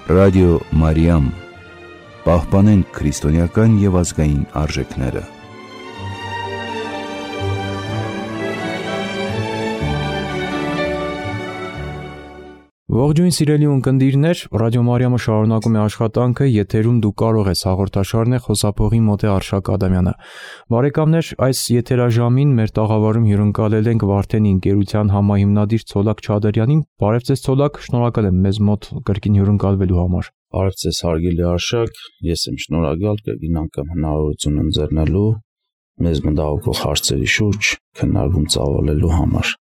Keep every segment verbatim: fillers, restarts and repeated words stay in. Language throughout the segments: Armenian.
Ռադիո Մարիամ, պահպանենք քրիստոնեական և ազգային արժեքները։ Ողջույն սիրելի ունկնդիրներ, Ռադիո Մարիամը շարունակում է աշխատանքը, եթերում դու կարող ես հաղորդաշարն է խոսափողի մոտ է Արշակ Ադամյանը։ Բարեկամներ, այս եթերաժամին մեր տաղավարում հյուրընկալել ենք Վարդենի ընկերության համահիմնադիր Ցոլակ Չադրյանին։ Բարև ձեզ Ցոլակ, շնորհակալ եմ մեզ մոտ կրկին հյուրընկալվելու համար։ Բարև ձեզ հարգելի Արշակ, ես եմ շնորհակալ կրկին անգամ հնարավորություն ընձեռնելու մեզ մտահոգող հարցերի շուրջ քննարկում ծավալելու համար։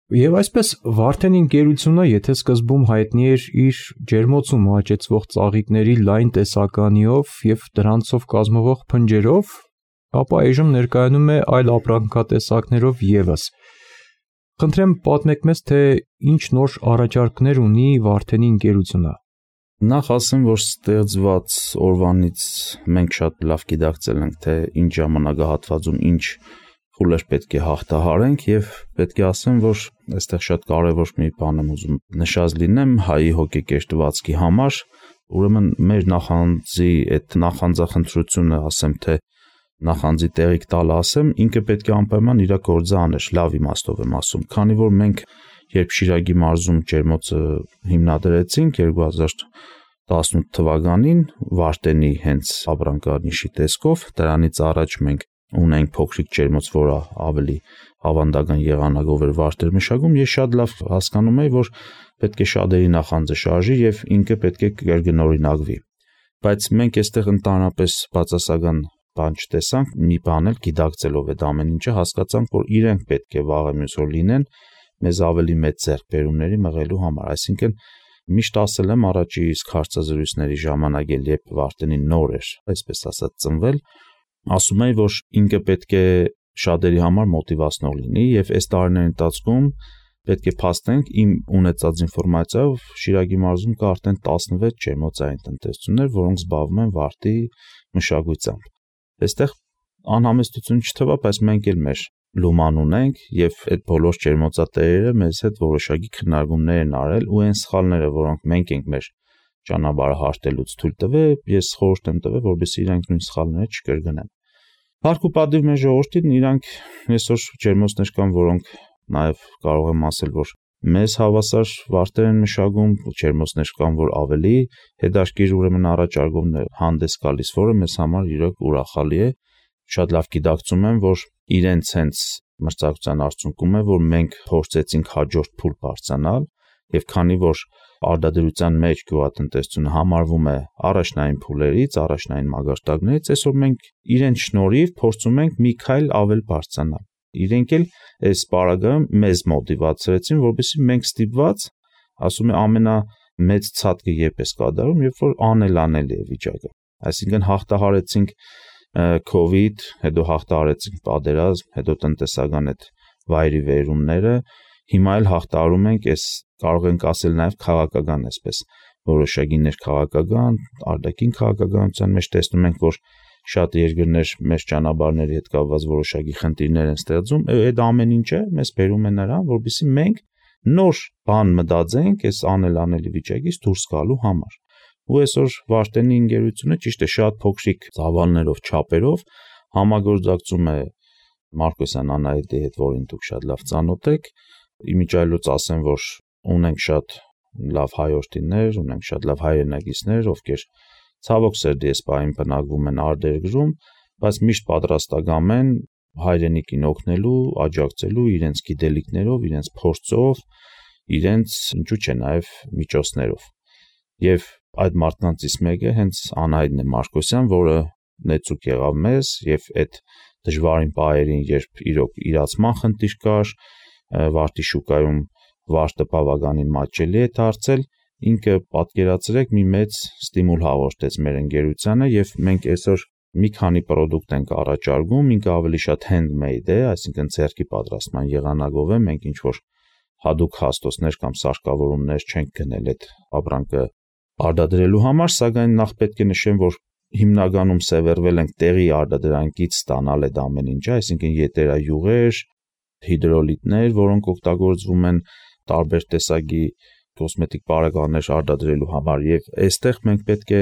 Եվ այսպես Վարդենի ընկերությունը, եթե սկզբում հայտնի էր իր ջերմոցում աճեցվող ծաղիկների լայն տեսականիով եւ դրանցով կազմվող փնջերով, ապա այժմ ներկայանում է այլ ապրանքատեսակներով եւս։ Խնդրեմ պատմեք մեզ, թե ինչ նոր առաջարկներ ունի Վարդենի ընկերությունը։ Նախ ասեմ, որ ստեղծված օրվանից մենք շատ լավ գիտակցել ենք, թե ինչ ժամանակահատվածում ինչ փուլեր պետք է հաղթահարենք եւ պետք է ասեմ, որ այստեղ շատ կարեւոր մի բան եմ ուզում նշած լինեմ հայի հոգեկեշտվածքի համար, ուրեմն մեր նախանձի այդ նախանձախնդրությունը, ասեմ թե նախանձի տեղիք տալը ասեմ, ինքը պետք է անպայման իր գործը աներ, լավ իմաստով եմ ասում, քանի որ մենք երբ Շիրակի մարզում ջերմոցը հիմնադրեցինք երկու հազար տասնութ թվականին Վարդենի հենց ապրանքանիշի տեսքով, դրանից առաջ մենք ունենք փոքրիկ ջերմոց, որը ավելի ավանդական եղանակով էր Վարդեր մշակում, ես շատ լավ հասկանում եի, որ պետք է շատերի նախանձը շարժի եւ ինքը պետք է կրկնօրինակվի։ Բայց մենք այստեղ ընդհանրապես բացասական բան չտեսանք, մի բան էլ գիտակցելով այդ ամեն ինչը հասկացանք, որ իրենք պետք է վաղը մյուս օր լինեն մեզ ավելի մեծ ձեռքբերումների մղելու համար, այսինքն միշտ ասել եմ առաջի իսկ հարցազրույցների ժամանակ էլ երբ Վարդենին նոր էր, այսպես ասած, ծնվել, ասում էի, որ ինքը պետք է շատերի համար մոտիվացնող լինի եւ այս տարիների ընթացքում պետք է փաստենք իմ ունեցած ինֆորմացիայով Շիրակի մարզում կա արդեն տասնվեց ջերմոցային տնտեսություններ, որոնք զբաղվում են վարդի մշակությամբ։ Այստեղ անհամեստություն չթվա, բայց մենք էլ մեր լուման ունենք եւ այդ բոլոր ջերմոցատերերը մեզ հետ որոշակի քննարկումներ են արել ու այն սխալները, որոնք մենք ենք մեր ճանապարհը հարթելուց թույլ տվել, ես խորհուրդ եմ տվել, որպեսզի իրանք նույն սխալները չկրկնեն։ Հարկ ու պատիվ մեր ժողովրդին, իրանք այսօր ջերմոցներ կան, որոնք նաեւ կարող եմ ասել, որ մեզ հավասար վարդեր են մշակում, ջերմոցներ կան, որ ավելի հետաքրքիր ուրեմն առաջարկումներ հանդես գալիս, որը մեզ համար իրոք ուրախալի է։ Շատ լավ գիտակցում եմ, որ իրենց հենց մրցակցության արդյունքում է, որ մենք փորձեցինք հաջորդ փուլ բարձրանալ եւ քանի որ արտադրության մեջ գյուղատնտեսությունը համարվում է առաջնային փուլերից, առաջնային մագարտակներից, այսօր մենք իրենց շնորհիվ փորձում ենք մի քայլ ավել բարձրանալ։ Իրենք էլ այս պարագայում մեզ մոտիվացրեցին, որպեսզի մենք ստիպված, ասում է ամենամեծ ցածկը երբ է կատարում, երբ որ անելանելի է վիճակը։ Այսինքն հաղթահարեցինք COVID, հետո հաղթահարեցինք պատերազմ, հետո տնտեսական այդ վայրի վերումները, հիմա էլ հաղթահարում ենք այս կարող ենք ասել նաև քաղաքական այսպես որոշակի ներքաղաքական, արտաքին քաղաքականության մեջ տեսնում ենք, որ շատ երկրներ մեր ճանապարհների հետ կապված որոշակի խնդիրներ են ստեղծում, այդ ամեն ինչը մեզ բերում է նրան, որպեսզի մենք նոր բան մտածենք այս անելանելի վիճակից դուրս գալու համար։ Ու այսօր Վարդենի ընկերությունը ճիշտ է շատ փոքրիկ ծավալներով, չափերով համագործակցում է Մարկոսյան Անահիտի հետ, որին դուք շատ լավ ծանոթ եք։ Իմիջիայլոց ասեմ, որ ունենք շատ լավ հայրենիներ, ունենք շատ լավ հայրենակիցներ, ովքեր ցավոք սերդի այս պահին բնակվում են արտերկրում, բայց միշտ պատրաստական են հայրենիքին օգնելու, աջակցելու իրենց գիտելիքներով, իրենց փորձով, իրենց ինչու՞ չէ նաև միջոցներով։ Եվ այդ մարդկանցից մեկը հենց Անահիտն է Մարկոսյան, որը նեցուկ եղավ մեզ եւ այդ դժվարին պահերին, երբ իրոք իրացման խնդիր կար, վարդի շուկայում վարդը բավականին մատչելի է դարձել, ինքը պատկերացրեք մի մեծ ստիմուլ հաղորդեց մեր ընկերությանը եւ մենք այսօր մի քանի product ենք առաջարկում, ինքը ավելի շատ handmade է, այսինքն ձեռքի պատրաստման եղանակով է, մենք ինչ որ հadoop հաստոցներ կամ սարքավորումներ չենք գնել այդ ապրանքը արտադրելու համար, սակայն նախ պետք է նշեմ, որ հիմնականում սևեռվել ենք տեղի արտադրանքից ստանալ այդ ամեն ինչը, այսինքն եթերայուղեր, հիդրոլիտներ, որոնք օգտագործվում են տարբեր տեսակի կոսմետիկ պարագաներ արտադրելու համար եւ այստեղ մենք պետք է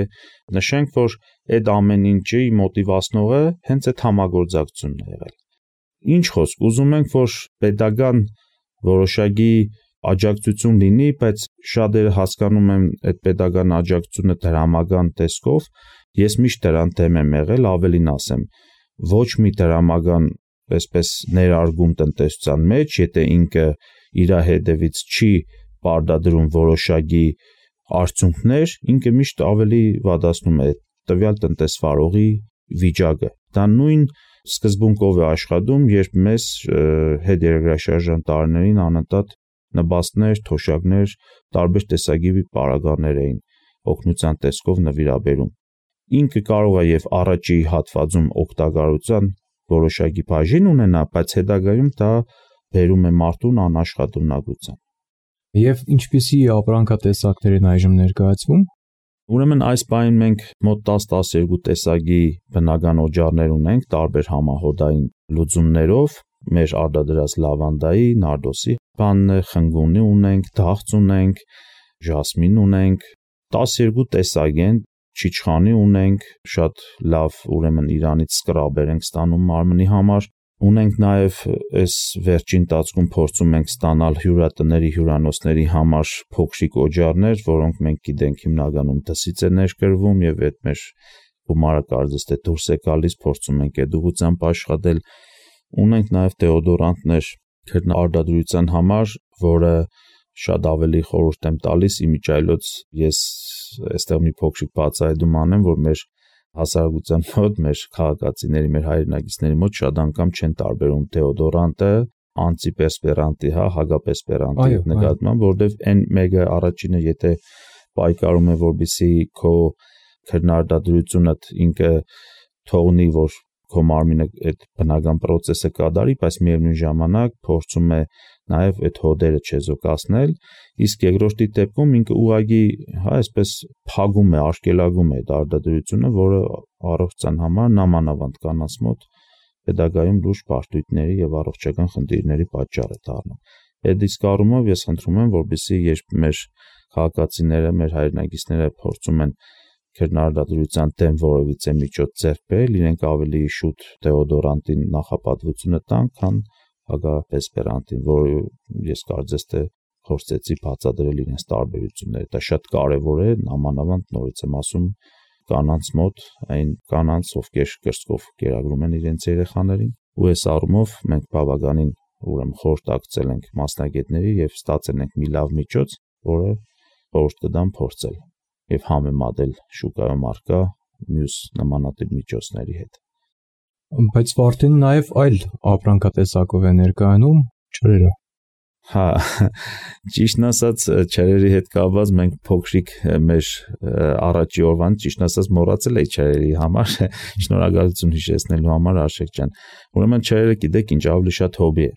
նշենք, որ այդ ամեն ինչի մոտիվացնողը հենց այդ համագործակցությունն է եղել։ Ինչ խոսք, ուզում ենք, որ pedagogan որոշակի աջակցություն լինի, բայց շատերը հասկանում են այդ pedagogan աջակցությունը դրամական տեսքով, ես միշտ դրան դեմ եմ եղել, ավելին ասեմ, ոչ մի դրամական այսպես ներարգում տնտեսության մեջ, եթե ինքը իր հետևից չի պարտադրում որոշակի արդյունքներ, ինքը միշտ ավելի վատացնում է տվյալ տնտեսվարողի վիճակը։ Դա նույն սկզբունքով է աշխատում, երբ մեզ հետերագրաշարժան տարիներին անընդհատ նպաստներ, թոշակներ, տարբեր տեսակի պարագաներ էին օգնության տեսքով նվիրաբերում։ Ինքը կարող է եւ առաջի հատվածում օգտակարության որոշակի բաժին ունենա, բայց հետագայում դա բերում է մարդուն անաշխատունակության։ Եվ ինչպիսի ապրանքատեսակներ են այժմ ներկայացվում։ Ուրեմն այս բանին մենք մոտ տասը-տասներկու տեսակի բնական օջախներ ունենք տարբեր համահոդային լուծումներով, մեր արտադրած լավանդայի, նարդոսի բանն, խնգունի ունենք, դաղց ունենք, ժասմին ունենք, տասներկու տեսակ են, չիչխանի ունենք, շատ լավ, ուրեմն Իրանից սկրաբեր ենք ստանում մարմնի համար, ունենք նաև այս վերջին տածքում փորձում ենք ստանալ հյուրատների, հյուրանոցների համար փոքրիկ օջախներ, որոնք մենք գիտենք հիմնականում դսից է ներկրվում եւ այդ մեր գումարը կարծես թե դուրս է գալիս, փորձում ենք այդ ուղղությամբ աշխատել, ունենք նաև դեոդորանտներ քրնարտադրության համար, որը շատ ավելի խորհուրդ եմ տալիս, իմիջիայլոց ես այստեղ մի փոքրիկ բացահայտում անեմ, որ մեր հասարակության մոտ, մեր քաղաքացիների, մեր հայրենակիցների մոտ շատ անգամ չեն տարբերում դեոդորանտը անտիպերսպերանտի, հա, հագապերսպերանտի նկատմամբ, որովհետև այն մեկը առաջինը, եթե պայքարում է, որպեսզի քո քրնարտադրությունդ ինքը թողնի, որ քո մարմինը այդ բնական process-ը կատարի, բայց միևնույն ժամանակ փորձում է նաև այդ հոդերը չեզոքացնել, իսկ երկրորդի դեպքում ինքը ուղղակի, հա, այսպես փակում է, արգելակում է այդ արտադրությունը, որը առողջության համար նամանավանդ կանանց մոտ հետագայում լուրջ բարդույթների եւ առողջական խնդիրների պատճառ է դառնում։ Այդ իսկ առումով ես խնդրում եմ, որպեսզի երբ մեր քաղաքացիները, մեր հայրենակիցները փորձում են քրնարտադրության դեմ որևիցե միջոց ձեռք բերել, իրենք ավելի շուտ դեոդորանտին նախապատվությունը տան, քան հագապերսպերանտին, որը ես կարծես թե փորձեցի բացատրել իրենց տարբերությունները։ Դա շատ կարևոր է, նամանավանդ նորից եմ ասում, կանանց մոտ, այն կանանց, ովքեր կրծքով կերակրում են իրենց երեխաներին, ու այս առումով մենք բավականին ուրեմն խորհրդակցել ենք մասնագետների եւ ստացել ենք մի լավ միջոց, որը խորհուրդ կտամ փորձել եւ համեմատել շուկայում առկա մյուս նմանատիպ միջոցների հետ։ Բայց Վարդենը նաև այլ ապրանքատեսակով է ներկայանում ջրերը։ Հա, ճիշտն ասած, ջրերի հետ կապված մենք փոքրիկ մեր առաջի օրվան ճիշտն ասած մոռացել էի ջրերի համար, շնորհակալություն հիշեցնելու համար Արշակ ջան։ Ուրեմն ջրերը գիտեք ինչ ավելի շատ հոբի է։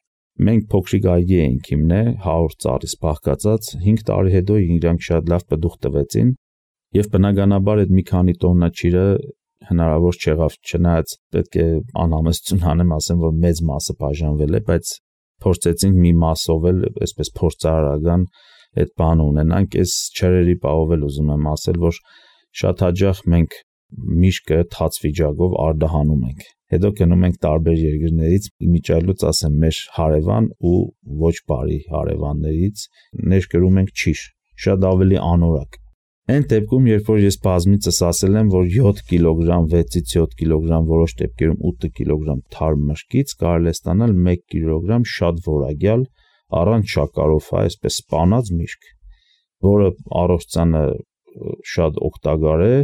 Մենք փոքրիկ այգի էինք հիմնե հարյուր ծառից բաղկացած, հինգ տարի հետո իրանք շատ լավ պտուղ տվեցին եւ բնականաբար այդ մի քանի տոննա ջրը հնարավոր չեղավ, չնայած պետք է անհամեստություն անեմ, ասեմ, որ մեծ մասը բաժանվել է, բայց փորձեցինք մի մասով էլ այսպես փորձարարական այդ բանը ունենանք, այս ջրերի պահով էլ ուզում եմ ասել, որ շատ հաճախ մենք միշկը թաց վիճակով արդահանում ենք։ Հետո գնում ենք տարբեր երկրներից, իմիջիայլոց ասեմ, մեր հարևան ու ոչ բարի հարևաններից ներկրում ենք ճիշտ, շատ ավելի անորակ։ Այն դեպքում, երբ որ ես բազմիցս ասել եմ, որ յոթ կիլոգրամ, վեցից յոթ կիլոգրամ, որոշ դեպքերում ութ կիլոգրամ թարմ մրգից կարելի է ստանալ մեկ կիլոգրամ շատ որակյալ առանց շաքարով, այսպես սպանած միրգ, որը առողջությանը շատ օգտակար է,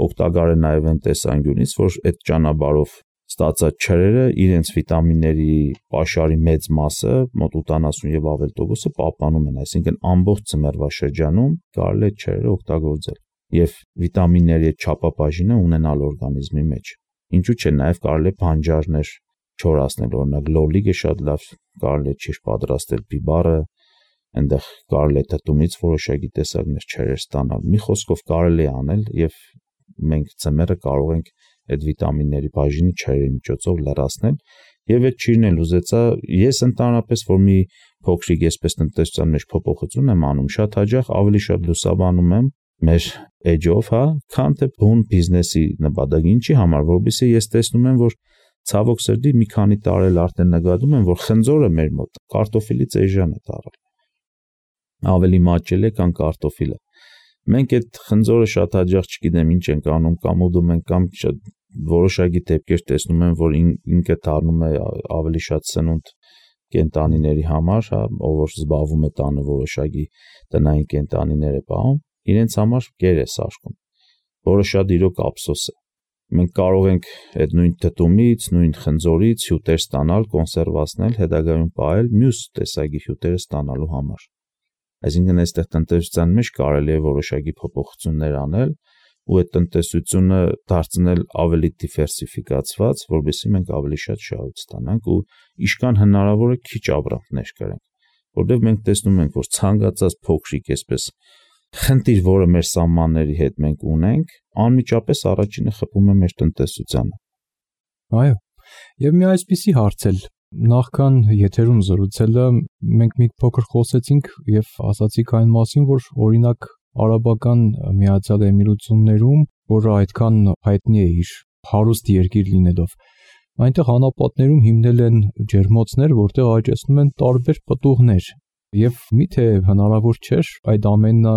օգտակար է նաև այն տեսանկյունից, որ այդ ճանապարհով ստացած ջրերը իրենց վիտամինների պաշարի մեծ մասը, մոտ ութանասուն եւ ավել տոկոսը պահպանում են, այսինքն ամբողջ ծմերվա շրջանում կարելի է ջրերը օգտագործել եւ վիտամինների չափաբաժինը ունենալ օրգանիզմի մեջ։ Ինչու՞ չէ, նաև կարելի է բանջարներ չորացնել, օրինակ լոլիկը շատ լավ կարելի է ճիշտ պատրաստել, բիբարը, այնտեղ կարելի է թթումից որոշակի տեսակներ ջրեր ստանալ։ Մի խոսքով կարելի է անել եւ մենք ծմերը կարող ենք այդ վիտամինների բաժինը ջրերի միջոցով լրացնել Եվ այդ ճիրն էլ ուզեցա, ես ընդհանրապես որ մի փոքրիկ այսպես տնտեսության մեջ փոփոխություն եմ անում, շատ հաճախ ավելի շատ լուսաբանում եմ մեր edge-ով, հա, քան թե բուն բիզնեսի նպատակ, ինչի համար, որովհետեւ ես տեսնում եմ, որ ցավոք սրտի մի քանի տարի էլ արդեն նկատում եմ, որ խնձորը մեր մոտ կարտոֆիլից էժան է դառել։ Ավելի մաճել է, քան կարտոֆիլը։ Մենք այդ խնձորը շատ հաճախ չգիտեմ ինչ ենք անում, կամ ուդում ենք, կամ որոշակի դեպքեր տեսնում եմ, որ ինքը դառնում է ավելի շատ սնունդ կենտանիների համար, հա, ով որ զբաղվում է տանը որոշակի տնային կենտանիներ է պահում, իրենց համար կեր է սարքում, որը շատ իրոք ափսոս է։ Մենք կարող ենք այդ նույն թթումից, նույն խնձորից հյութեր ստանալ, կոնսերվացնել, հետագայում պահել մյուս տեսակի հյութերը ստանալու համար։ Այսինքն այստեղ տնտեսության մեջ կարելի է որոշակի փոփոխություններ անել ու այդ տնտեսությունը դարձնել ավելի դիվերսիֆիկացված, որովհետեւ մենք ավելի շատ շահույթ ստանանք ու իշքան հնարավոր է քիչ ապրանքներ կրենք, որովհետեւ մենք տեսնում ենք, որ ցանկացած փոքրիկ այսպես խնդիր, որը մեր սահմանների հետ մենք ունենք, անմիջապես առաջինը խփում է մեր տնտեսությանը։ Այո, եւ մի այսպիսի հարց էլ նախքան եթերում զրուցելը մենք մի փոքր խոսեցինք եւ ասացիք այն մասին, որ օրինակ Արաբական Միացյալ Էմիրություններում, որը այդքան հայտնի է իր հարուստ երկիր լինելով, այնտեղ անապատներում հիմնել են ջերմոցներ, որտեղ աճեցնում են տարբեր պտուղներ։ Եվ միթե հնարավոր չէր այդ ամենը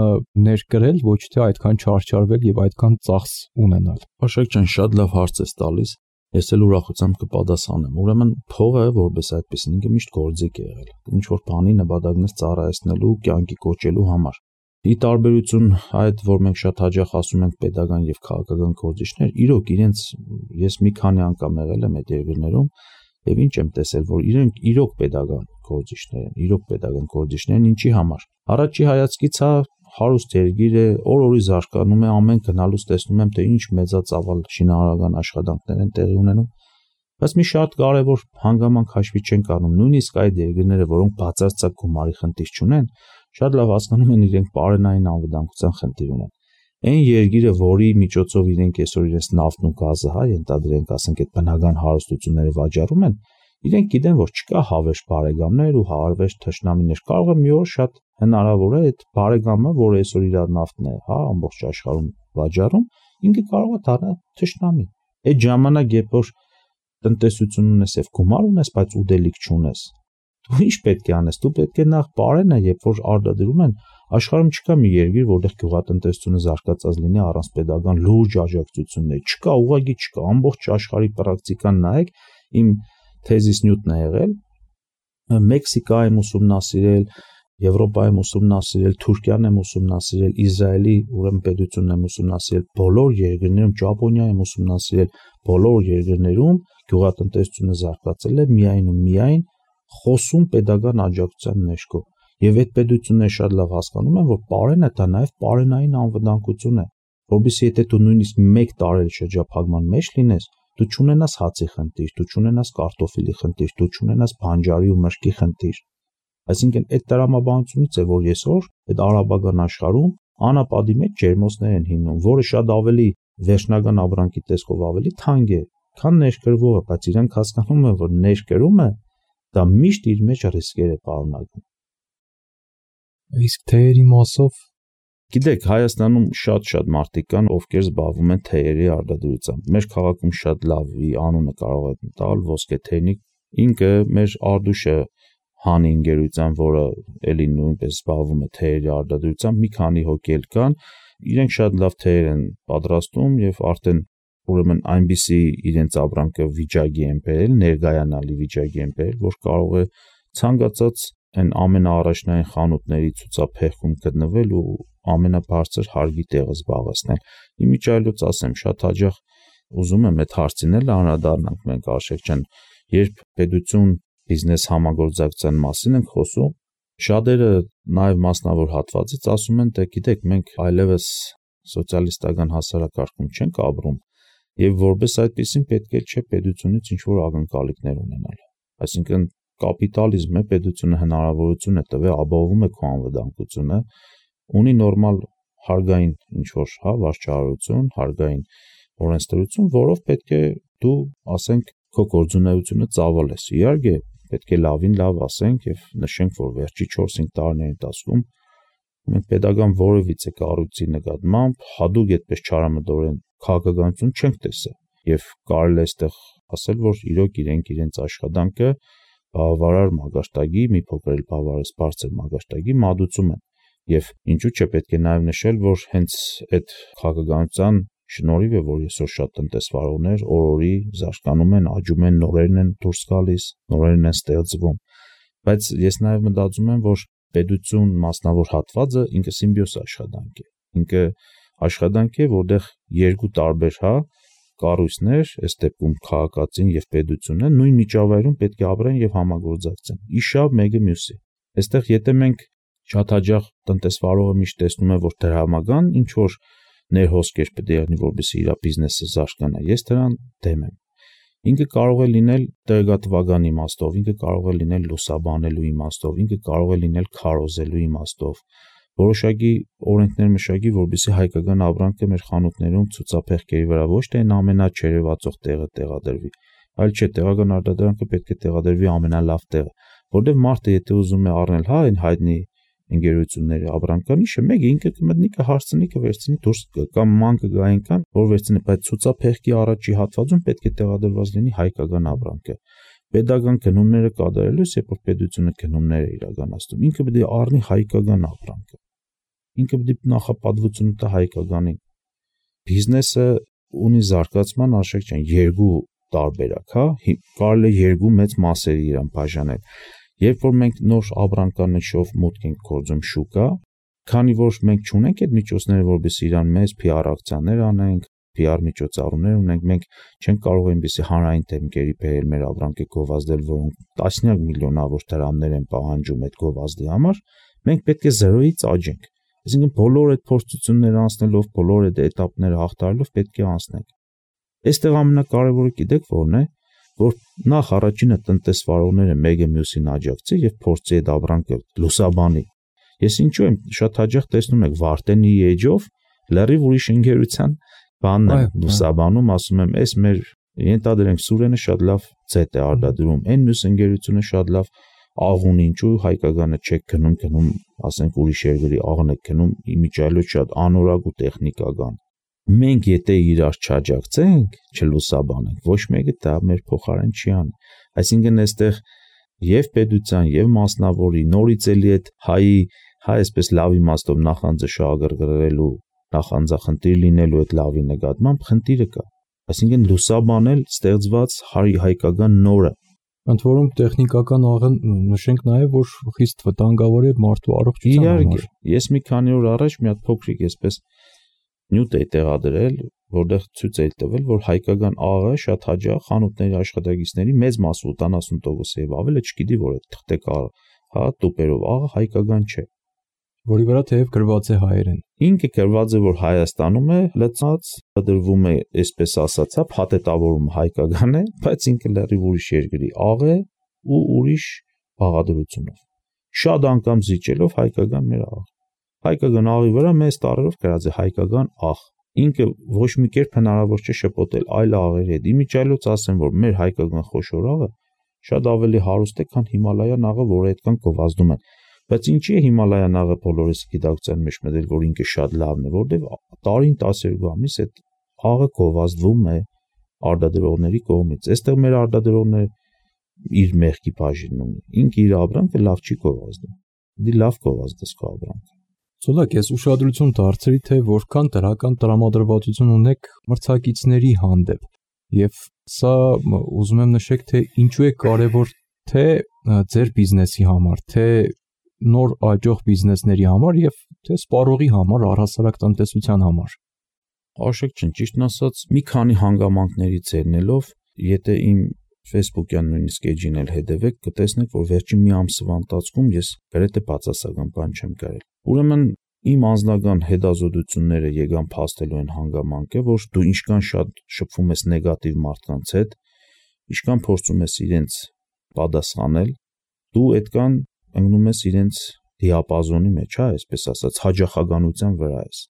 ներկրել, ոչ թե այդքան չարչարվել եւ այդքան ծախս ունենալ։Աշակ ջան, շատ լավ հարց ես տալիս։ Ես էլ ուրախությամբ կպատասխանեմ։ Ուրեմն փողը, որպես այդպեսին, ինքը միշտ գործիք է եղել։ Ինչ որ բանի նպատակներ ծառայեցնելու, կյանքի կոչելու համար։ Ի տարբերություն այդ, որ մենք շատ հաճախ ասում ենք պետական եւ քաղաքական գործիչներ, իրոք իրենց ես մի քանի անգամ եղել եմ այդ երկրներում եւ ինչ եմ տեսել, որ իրենք իրոք պետական գործիչներ են, իրոք պետական գործիչներ են, ինչի համար։ Առաջի հայացքից հա հարուստ երկիր է, օր-օրի զարգանում է, ամեն գնալուց տեսնում եմ, թե ինչ մեծածավալ շինարարական աշխատանքներ են տեղի ունենում, բայց մի շատ կարևոր հանգամանք հաշվի չեն առնում, նույնիսկ այդ երկրները, որոնք բացարձակ գումարի խնդիր չունեն, շատ լավ հասկանում են իրենք պարենային անվտանգության խնդիր ունեն։ Այն երկիրը, որի միջոցով իրենք այսօր իրենց նավթն ու գազը, հա, ենթադրենք, ասենք այդ բնական հարստությունները վաճառում են, իրենք գիտեն, որ չկա հավերժ բարեկամներ ու հավերժ թշնամիներ, կարող է մի օր շատ հնարավոր է այդ բարեկամը, որը այսօր իր նավթն է, հա, ամբողջ աշխարհում վաճառում, ինքը կարող է դառնալ թշնամի։ Այդ ժամանակ, երբ որ տնտեսություն ունես եւ գումար ունես, բայց ուտելիք չունես, դու ինչ պետք է անես, դու պետք է նախ բարենը, երբ որ արտադրում են, աշխարհում չկա մի երկիր, որտեղ գյուղատնտեսությունը զարգացած լինի առանց պետական լուրջ աջակցությունների, չկա, ուղղակի չկա, ամբողջ աշխարհի պրակտիկան նայեք, իմ թեզիս նյութն է եղել, Մեքսիկա եմ ուսումնասիրել, Եվրոպա եմ ուսումնասիրել, Թուրքիան եմ ուսումնասիրել, Իսրայելի ուրեմն պետությունն եմ ուսումնասիրել, բոլոր երկրներում, Ճապոնիա եմ ուսումնասիրել, բոլոր երկրներում գյուղատնտեսությունը զարգացել է միայն ու միայն խոսում պետական աջակցության ներքո։ Եվ այդ պետությունները շատ լավ հասկանում են, որ պարենը դա նաև պարենային անվտանգություն է, որովհետեւ եթե դու նույնիսկ մեկ տարի շրջափակման մեջ լինես, դու չունենաս հացի խնդիր, դու չունենաս կարտոֆիլի խնդիր, դու չունենաս բանջարի ու մրգի խնդիր։ Այսինքն այդ տրամաբանությունից է, որ այսօր այդ արաբական աշխարհում անապատի մեջ ջերմոցներ են հիմնում, որը շատ ավելի վերջնական ապրանքի տեսքով ավելի թանկ է, քան ներկրվողը, բայց իրենք հասկանում են, որ ներկրումը դա միշտ իր մեջ ռիսկեր է պարունակում։ Իսկ թեյերի մասով Գիտեք, Հայաստանում շատ-շատ մարդիկ կան, ովքեր զբաղվում են թեյերի արտադրությամբ։ Մեր քաղաքում շատ լավի անունը կարող է տալ ոսկե թեյնիկ, ինքը մեր Արդուշը հանի ընկերության, որը էլի նույնպես զբաղվում է թեյերի արտադրությամբ, մի քանի հոգի էլ կան, իրենք շատ լավ թեյեր են պատրաստում եւ արդեն ուրեմն այնպիսի իրենց ապրանքը վիճակի են բերել, ներգայանալի վիճակի են բերել, որ կարող է ցանկացած այն ամենաառաջնային խանութների ցուցափեղկում գտնվել ու ամենաբարձր հարգի տեղը զբաղեցնել։ Իմիջիայլոց ասեմ, շատ հաճախ ուզում եմ այդ հարցին էլ անդրադառնանք մենք Արշակ ջան, երբ պետություն բիզնես համագործակցության մասին ենք խոսում, շատերը նաև մասնավոր հատվածից ասում են, թե գիտեք, մենք այլևս սոցիալիստական հասարակարգում չենք ապրում եւ որպես այդպեսին պետք է չէ պետությունից ինչ որ ակնկալիքներ ունենալ։ Այսինքն կապիտալիզմը պետությունը հնարավորություն է տվել, ապահովում է քո անվտանգությունը, ունի նորմալ հարգային ինչ որ, հա, վարչարարություն, հարգային օրենսդրություն, որով պետք է դու, ասենք, քո գործունեությունը ծավալես։ Իհարկե, պետք է լավին լավ ասենք եւ նշենք, որ վերջի չորս-հինգ տարիների ընթացքում մենք pedagogan որևիցե կառույցի նկատմամբ հadoop այդպես չարամտորեն քաղաքականություն չենք տեսել եւ կարելի է այստեղ ասել, որ իրոք իրենք իրենց աշխատանքը բավարար մագարտակի, մի փոքր էլ բավարար բարձր մագարտակի մատուցում են եւ ինչու՞ չէ պետք է նաեւ նշել, որ հենց այդ քաղաքականության շնորհիվ է, որ այսօր շատ տնտեսվարողներ օր-օրի զարգանում են, աճում են, նորերն են դուրս գալիս, նորերն են ստեղծվում, բայց ես նաեւ մտածում եմ, որ պետություն մասնավոր հատվածը ինքը սիմբիոզ աշխատանք է, ինքը աշխատանք է, որտեղ երկու տարբեր հա կառույցներ, այս դեպքում քաղաքացին եւ պետությունը նույն միջավայրում պետք է ապրեն եւ համագործակցեն։ Իշավ մեկը մյուսի։ Այստեղ եթե մենք շատ հաջող տնտեսվարողը միշտ տեսնում է, որ դրամական ինչ որ ներհոսքեր պետք է եղնի, որպեսզի իր բիզնեսը զարգանա, ես դրան դեմ եմ։ Ինքը կարող է լինել տեղեկատվական իմաստով, ինքը կարող է լինել լուսաբանելու իմաստով, ինքը կարող է լինել քարոզելու իմաստով, որոշակի օրենքներ մշակի, որպեսզի հայկական ապրանքը մեր խանութներում ցուցափեղկերի վրա ոչ թե այն ամենաչերևացող տեղը տեղադրվի, այլ չէ, տեղական արտադրանքը պետք է տեղադրվի ամենալավ տեղը, որտեղ մարդը եթե ուզում է առնել հա այն հայտնի ընկերությունների ապրանքանիշը, մեկը ինքը կմտնի կհարցնի կվերցնի դուրս կամ մանկը գա այնքան, որ վերցնի, բայց ցուցափեղկի առաջի հատվածում պետք է տեղադրված լինի հայկական ապրանքը։ Պետական գնումները կատարելուց, երբ որ պետությունը գնումներ է իրականացնում, ինքը պետք է առնի հայկական ապրանքը։ Ինքը պետք է նախապատվությունը տա հայկականին։ Բիզնեսը ունի զարգացման արժեք չեն երկու տարբերակ, հա, կարելի է երկու մեծ մասերի իրան բաժանել։ Երբ որ մենք նոր ապրանքանշով մուտք ենք գործում շուկա, քանի որ մենք չունենք այդ միջոցները, որովհետեւ իրան մեծ P R ակցիաներ անենք, P R միջոցառումներ ունենք, մենք չենք կարող այնպեսի հանրային դեմքերի բերել մեր ապրանքը գովազդել, որոնք տասնյակ միլիոնավոր դրամներ են պահանջում այդ գովազդի համար, մենք պետք է զրոյից աճենք։ Այսինքն բոլոր այդ փորձությունները անցնելով, բոլոր այդ էտապները հաղթարելով պետք է անցնենք։ Այստեղ ամենակարևորը գիտեք ո՞րն է, որ նախ առաջինը տնտեսվարողները մեկը մյուսին աջակցի եւ փորձի այդ ապրանքը լուսաբանի։ Ես ինչու եմ շատ հաճախ տեսնում եք Վարդենի էջով լրիվ ուրիշ ընկերության բանն է լուսաբանում, ասում եմ, այս մեր ենթադրենք Սուրենը շատ լավ ձետ է արտադրում, այն մյուս ընկերությունը շատ լավ աղուն, ինչու հայկականը չեք գնում, գնում, ասենք ուրիշ երկրի աղն եք գնում, իմիջիայլոց շատ անորակ ու տեխնիկական։ Մենք եթե իրար չաջակցենք, չլուսաբանենք, ոչ մեկը դա մեր փոխարեն չի անի։ Այսինքն այստեղ եւ պետության եւ մասնավորի նորից էլի այդ հայի, հա այսպես լավ իմաստով նախանձը շահագրգռելու, նախանձախնդիր լինելու այդ լավի նկատմամբ խնդիրը կա։ Այսինքն լուսաբանել ստեղծված հայ հայկական նորը։ Ընդ որում տեխնիկական աղը նշենք նաեւ, որ խիստ վտանգավոր է մարդու առողջության համար։ Ես մի քանի օր առաջ մի հատ փոքրիկ այսպես նյութ է տեղադրել, որտեղ ցույց է տվել, որ հայկական աղը շատ հաճախ խանութների աշխատակիցների մեծ մասը ութանասուն տոկոս եւ ավելը չգիտի, որ այդ թղթեք հա տուպերով աղը հայկական չէ, որի վրա թեև գրված է հայերեն։ Ինքը գրված է, որ Հայաստանում է լցած, դրվում է, այսպես ասած, հա փաթեթավորում հայկական է, բայց ինքը լրիվ ուրիշ երկրի աղ է ու ուրիշ բաղադրությունով։ Շատ անգամ զիջելով հայկական մեր աղ։ Հայկական աղի վրա մեծ տառերով գրած է հայկական աղ։ Ինքը ոչ մի կերպ հնարավոր չէ շփոթել այլ աղերի հետ։ Իմիջիայլոց ասեմ, որ մեր հայկական խոշոր աղը շատ ավելի հարուստ է, քան Հիմալայան աղը, որը այդքան գովազդում են։ Բայց ինչի է Հիմալայան աղը բոլորիս գիտակցության մեջ մտել, որ ինքը շատ լավն է, որտեղ տարին տասներկու ամիս այդ աղը գովազդվում է արտադրողների կողմից։ Այստեղ մեր արտադրողները իր մեղքի բաժինն ունի։ Ինքը իր ապրանքը լավ չի գովազդում։ Դի լավ գովազդես քո ապրանքը։ Ցոլակ, ես ուշադրություն դարձրի, թե որքան դրական տրամադրվածություն ունեք մրցակիցների հանդեպ։ Եվ սա ուզում եմ նշեք, թե ինչու է կարևոր թե ձեր բիզնեսի համար, թե նոր աճող բիզնեսների համար եւ թե սպառողի համար, առհասարակ տնտեսության համար։ Արժեք չն, ճիշտն ասած, մի քանի հանգամանքներից ելնելով, եթե իմ Facebook-յան նույնիսկ էջին էլ հետևեք, կտեսնեք, որ վերջին մի ամսվա ընթացքում ես գրեթե բացասական բան չեմ կարել։ Ուրեմն իմ անձնական հետազոտությունները եկան փաստելու են հանգամանքը, որ դու ինչքան շատ շփվում ես նեգատիվ մարդկանց հետ, ինչքան փորձում ես իրենց պատասխանել, դու այդքան ընկնում ես իրենց դիապազոնի մեջ, հա, այսպես ասած, հաջախականության վրա ես։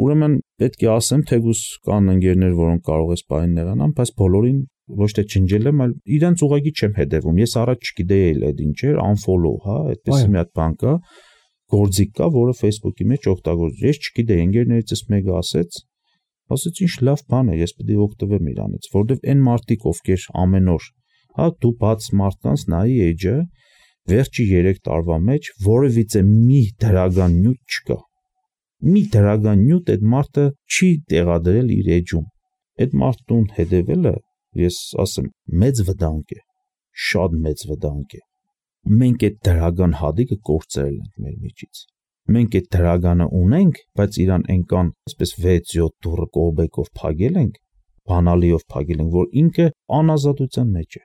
Ուրեմն պետք է ասեմ, թեկուզ կան ընկերներ, որոնք կարող ես պայն նեղանան, բայց բոլորին ոչ թե ջնջել եմ, այլ իրենց ուղղակի չեմ հետևում։ Ես առաջ չգիտեի էլ այդ ինչ էր, unfollow, հա, այդպես մի հատ բան կա, գործիք կա, որը Facebook-ի մեջ օգտագործում։ Ես չգիտեի, ընկերներիցս մեկը ասեց, ասեց ինչ լավ բան է, ես պետք է օգտվեմ իրանից, որովհետև այն մարդիկ, ովքեր ամեն օր, հա, դու բաց մարդկանց նայի էջը, վերջի երեք տարվա մեջ որևիցե մի դրական նյութ չկա։ Մի դրական նյութ այդ մարդը չի տեղադրել իր էջում։ Այդ մարդուն հետևելը, ես ասեմ, մեծ վտանգ է, շատ մեծ վտանգ է։ Մենք այդ դրական հատիկը կորցրել ենք մեր միջից։ Մենք այդ դրականը ունենք, բայց իրան այնքան, այսպես վեց յոթ դուրը կողբեկով փակել ենք, բանալիով փակել ենք, որ ինքը անազատության մեջ է։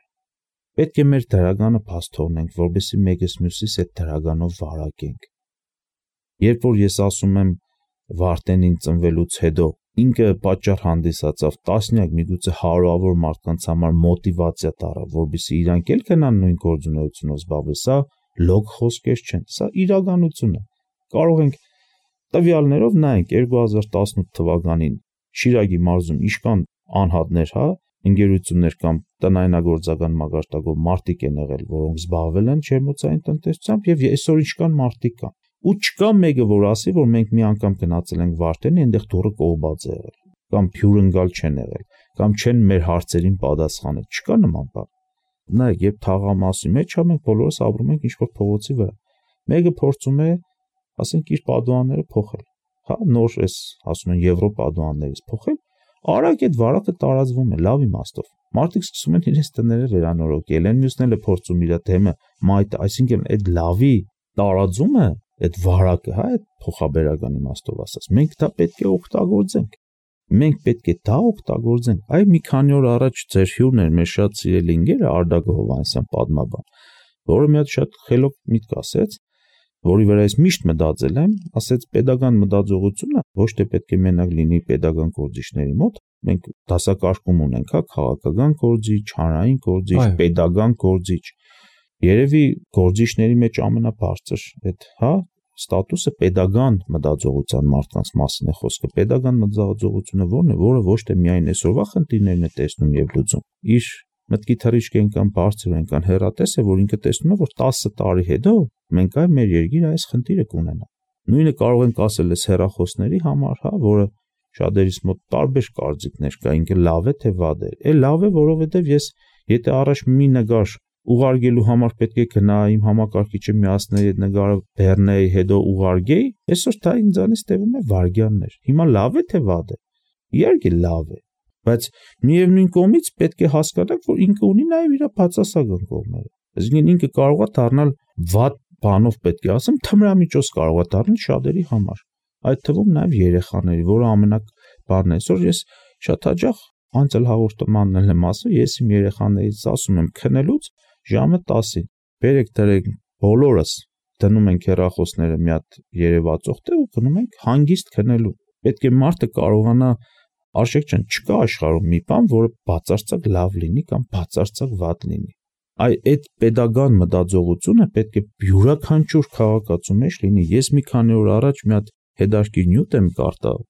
Պետք է մեր դրականը բաց թողնենք, որովհետեւ մեկս մյուսիս այդ դրականով վարակենք։ Երբ որ ես ասում եմ Վարդենին ծնվելուց հետո ինքը պատճառ հանդիսացավ տասնյակ միգուցե հարյուրավոր մարդկանց համար մոտիվացիա տարավ, որովհետեւ իրանք էլ կնան նույն գործունեությունով զբաղվել, սա լոգ խոսքեր չեն, սա իրականություն է։ Կարող ենք տվյալներով նայենք երկու հազար տասնութ թվականին Շիրակի մարզում իշքան անհատներ, հա, ընկերություններ կամ տնայնագործական մակարդակով մարդիկ են եղել, որոնք զբաղվել են ջերմոցային տնտեսությամբ եւ այսօր իշքան մարդիկ կան։ Ու չկա մեկը, որ ասի, որ մենք մի անգամ գնացել ենք Վարդենի, այնտեղ դուրը կողբած է եղել, կամ փյուրընկալ չեն եղել, կամ չեն մեր հարցերին պատասխանել։ Չկա նման բան։ Նայեք, երբ թաղամասի մեջ ա մենք բոլորս ապրում ենք ինչ-որ փողոցի վրա։ Մեկը փորձում է, ասենք, իր պատուհանները փոխել։ Հա, նոր էս, ասում են, եվրո պատուհաններից փոխել, արագ այդ վարակը տարածվում է, լավ իմաստով։ Մարդիկ սկսում են իրենց տները վերանորոգել, են մյուսները փորձում իր դեմը մայթ, այսինքն այդ լավի տարածումը, այդ վարակը, հա, այդ փոխաբերական իմաստով ասած, մենք դա պետք է օգտագործենք։ Մենք պետք է դա օգտագործենք։ Այ մի քանի օր առաջ ձեր հյուրն էր, մեր շատ սիրելի ընկերը Արտակ Հովհաննիսյան պատմաբան, որը մի հատ շատ խելոք միտք ասեց, որի վրա ես միշտ մտածել եմ, ասեց pedagogan մտածողությունը ոչ թե պետք է մենակ լինի pedagogan գործիչների մոտ, մենք դասակարգում ունենք, հա, քաղաքական գործիչ, հանրային գործիչ, pedagogan գործիչ։ Երևի գործիչների մեջ ամենաբարձր այդ, հա, ստատուսը pedagogan մտածողության մարդկանց մասին է խոսքը։ Pedagogan մտածողությունը ո՞րն է, որը ոչ թե միայն այսօրվա խնդիրներն է տեսնում եւ լուծում։ Իր մտքի թռիչք այնքան բարձր, այնքան հեռատես է, որ ինքը տեսնում է, որ տասը տարի հետո մենք այ մեր երկիրը այս խնդիրը կունենա։ Նույնը կարող ենք ասել այս հեռախոսների համար, հա, որը շատերիս մոտ տարբեր կարծիքներ կա, ինքը լավ է թե վատ է։ Է լավ է, որովհետեւ ես եթե առաջ մի նկար ուղարկելու համար պետք է գնայի իմ համակարգիչը միացնեի այդ նկարը բեռնեի, հետո ուղարկեի, այսօր դա ինձանից տևում է վայրկյաններ։ Հիմա լավ է թե վատ է։ Իհարկե լավ է, բայց միևնույն կողմից պետք է հասկանանք, որ ինքը ունի նաև իր բացասական կողմերը։ Այսինքն ինքը կարող է դառնալ վատ բանով, պետք է ասեմ, թմրամիջոց կարող է դառնալ շատերի համար։ Այդ թվում նաև երեխաների, որը ամենակ բանն է։ Այսօր ես շատ հաճախ անցել հաղորդմանն եմ ասում, ես իմ երեխաներից ասում եմ քնելուց ժամը տասին, բերեք դրեք բոլորս դնում ենք հեռախոսները մի հատ երևացող տեղ ու գնում ենք հանգիստ քնելու։ Պետք է մարդը կարողանա, արժեք չեն, չկա աշխարհում մի բան, որը բացարձակ լավ լինի կամ բացարձակ վատ լինի։ Այ այդ pedagogan մտածողությունը պետք է յուրաքանչյուր քաղաքացու մեջ լինի։ Ես մի քանի օր առաջ մի հատ հետաքրքիր նյութ եմ կարդալ։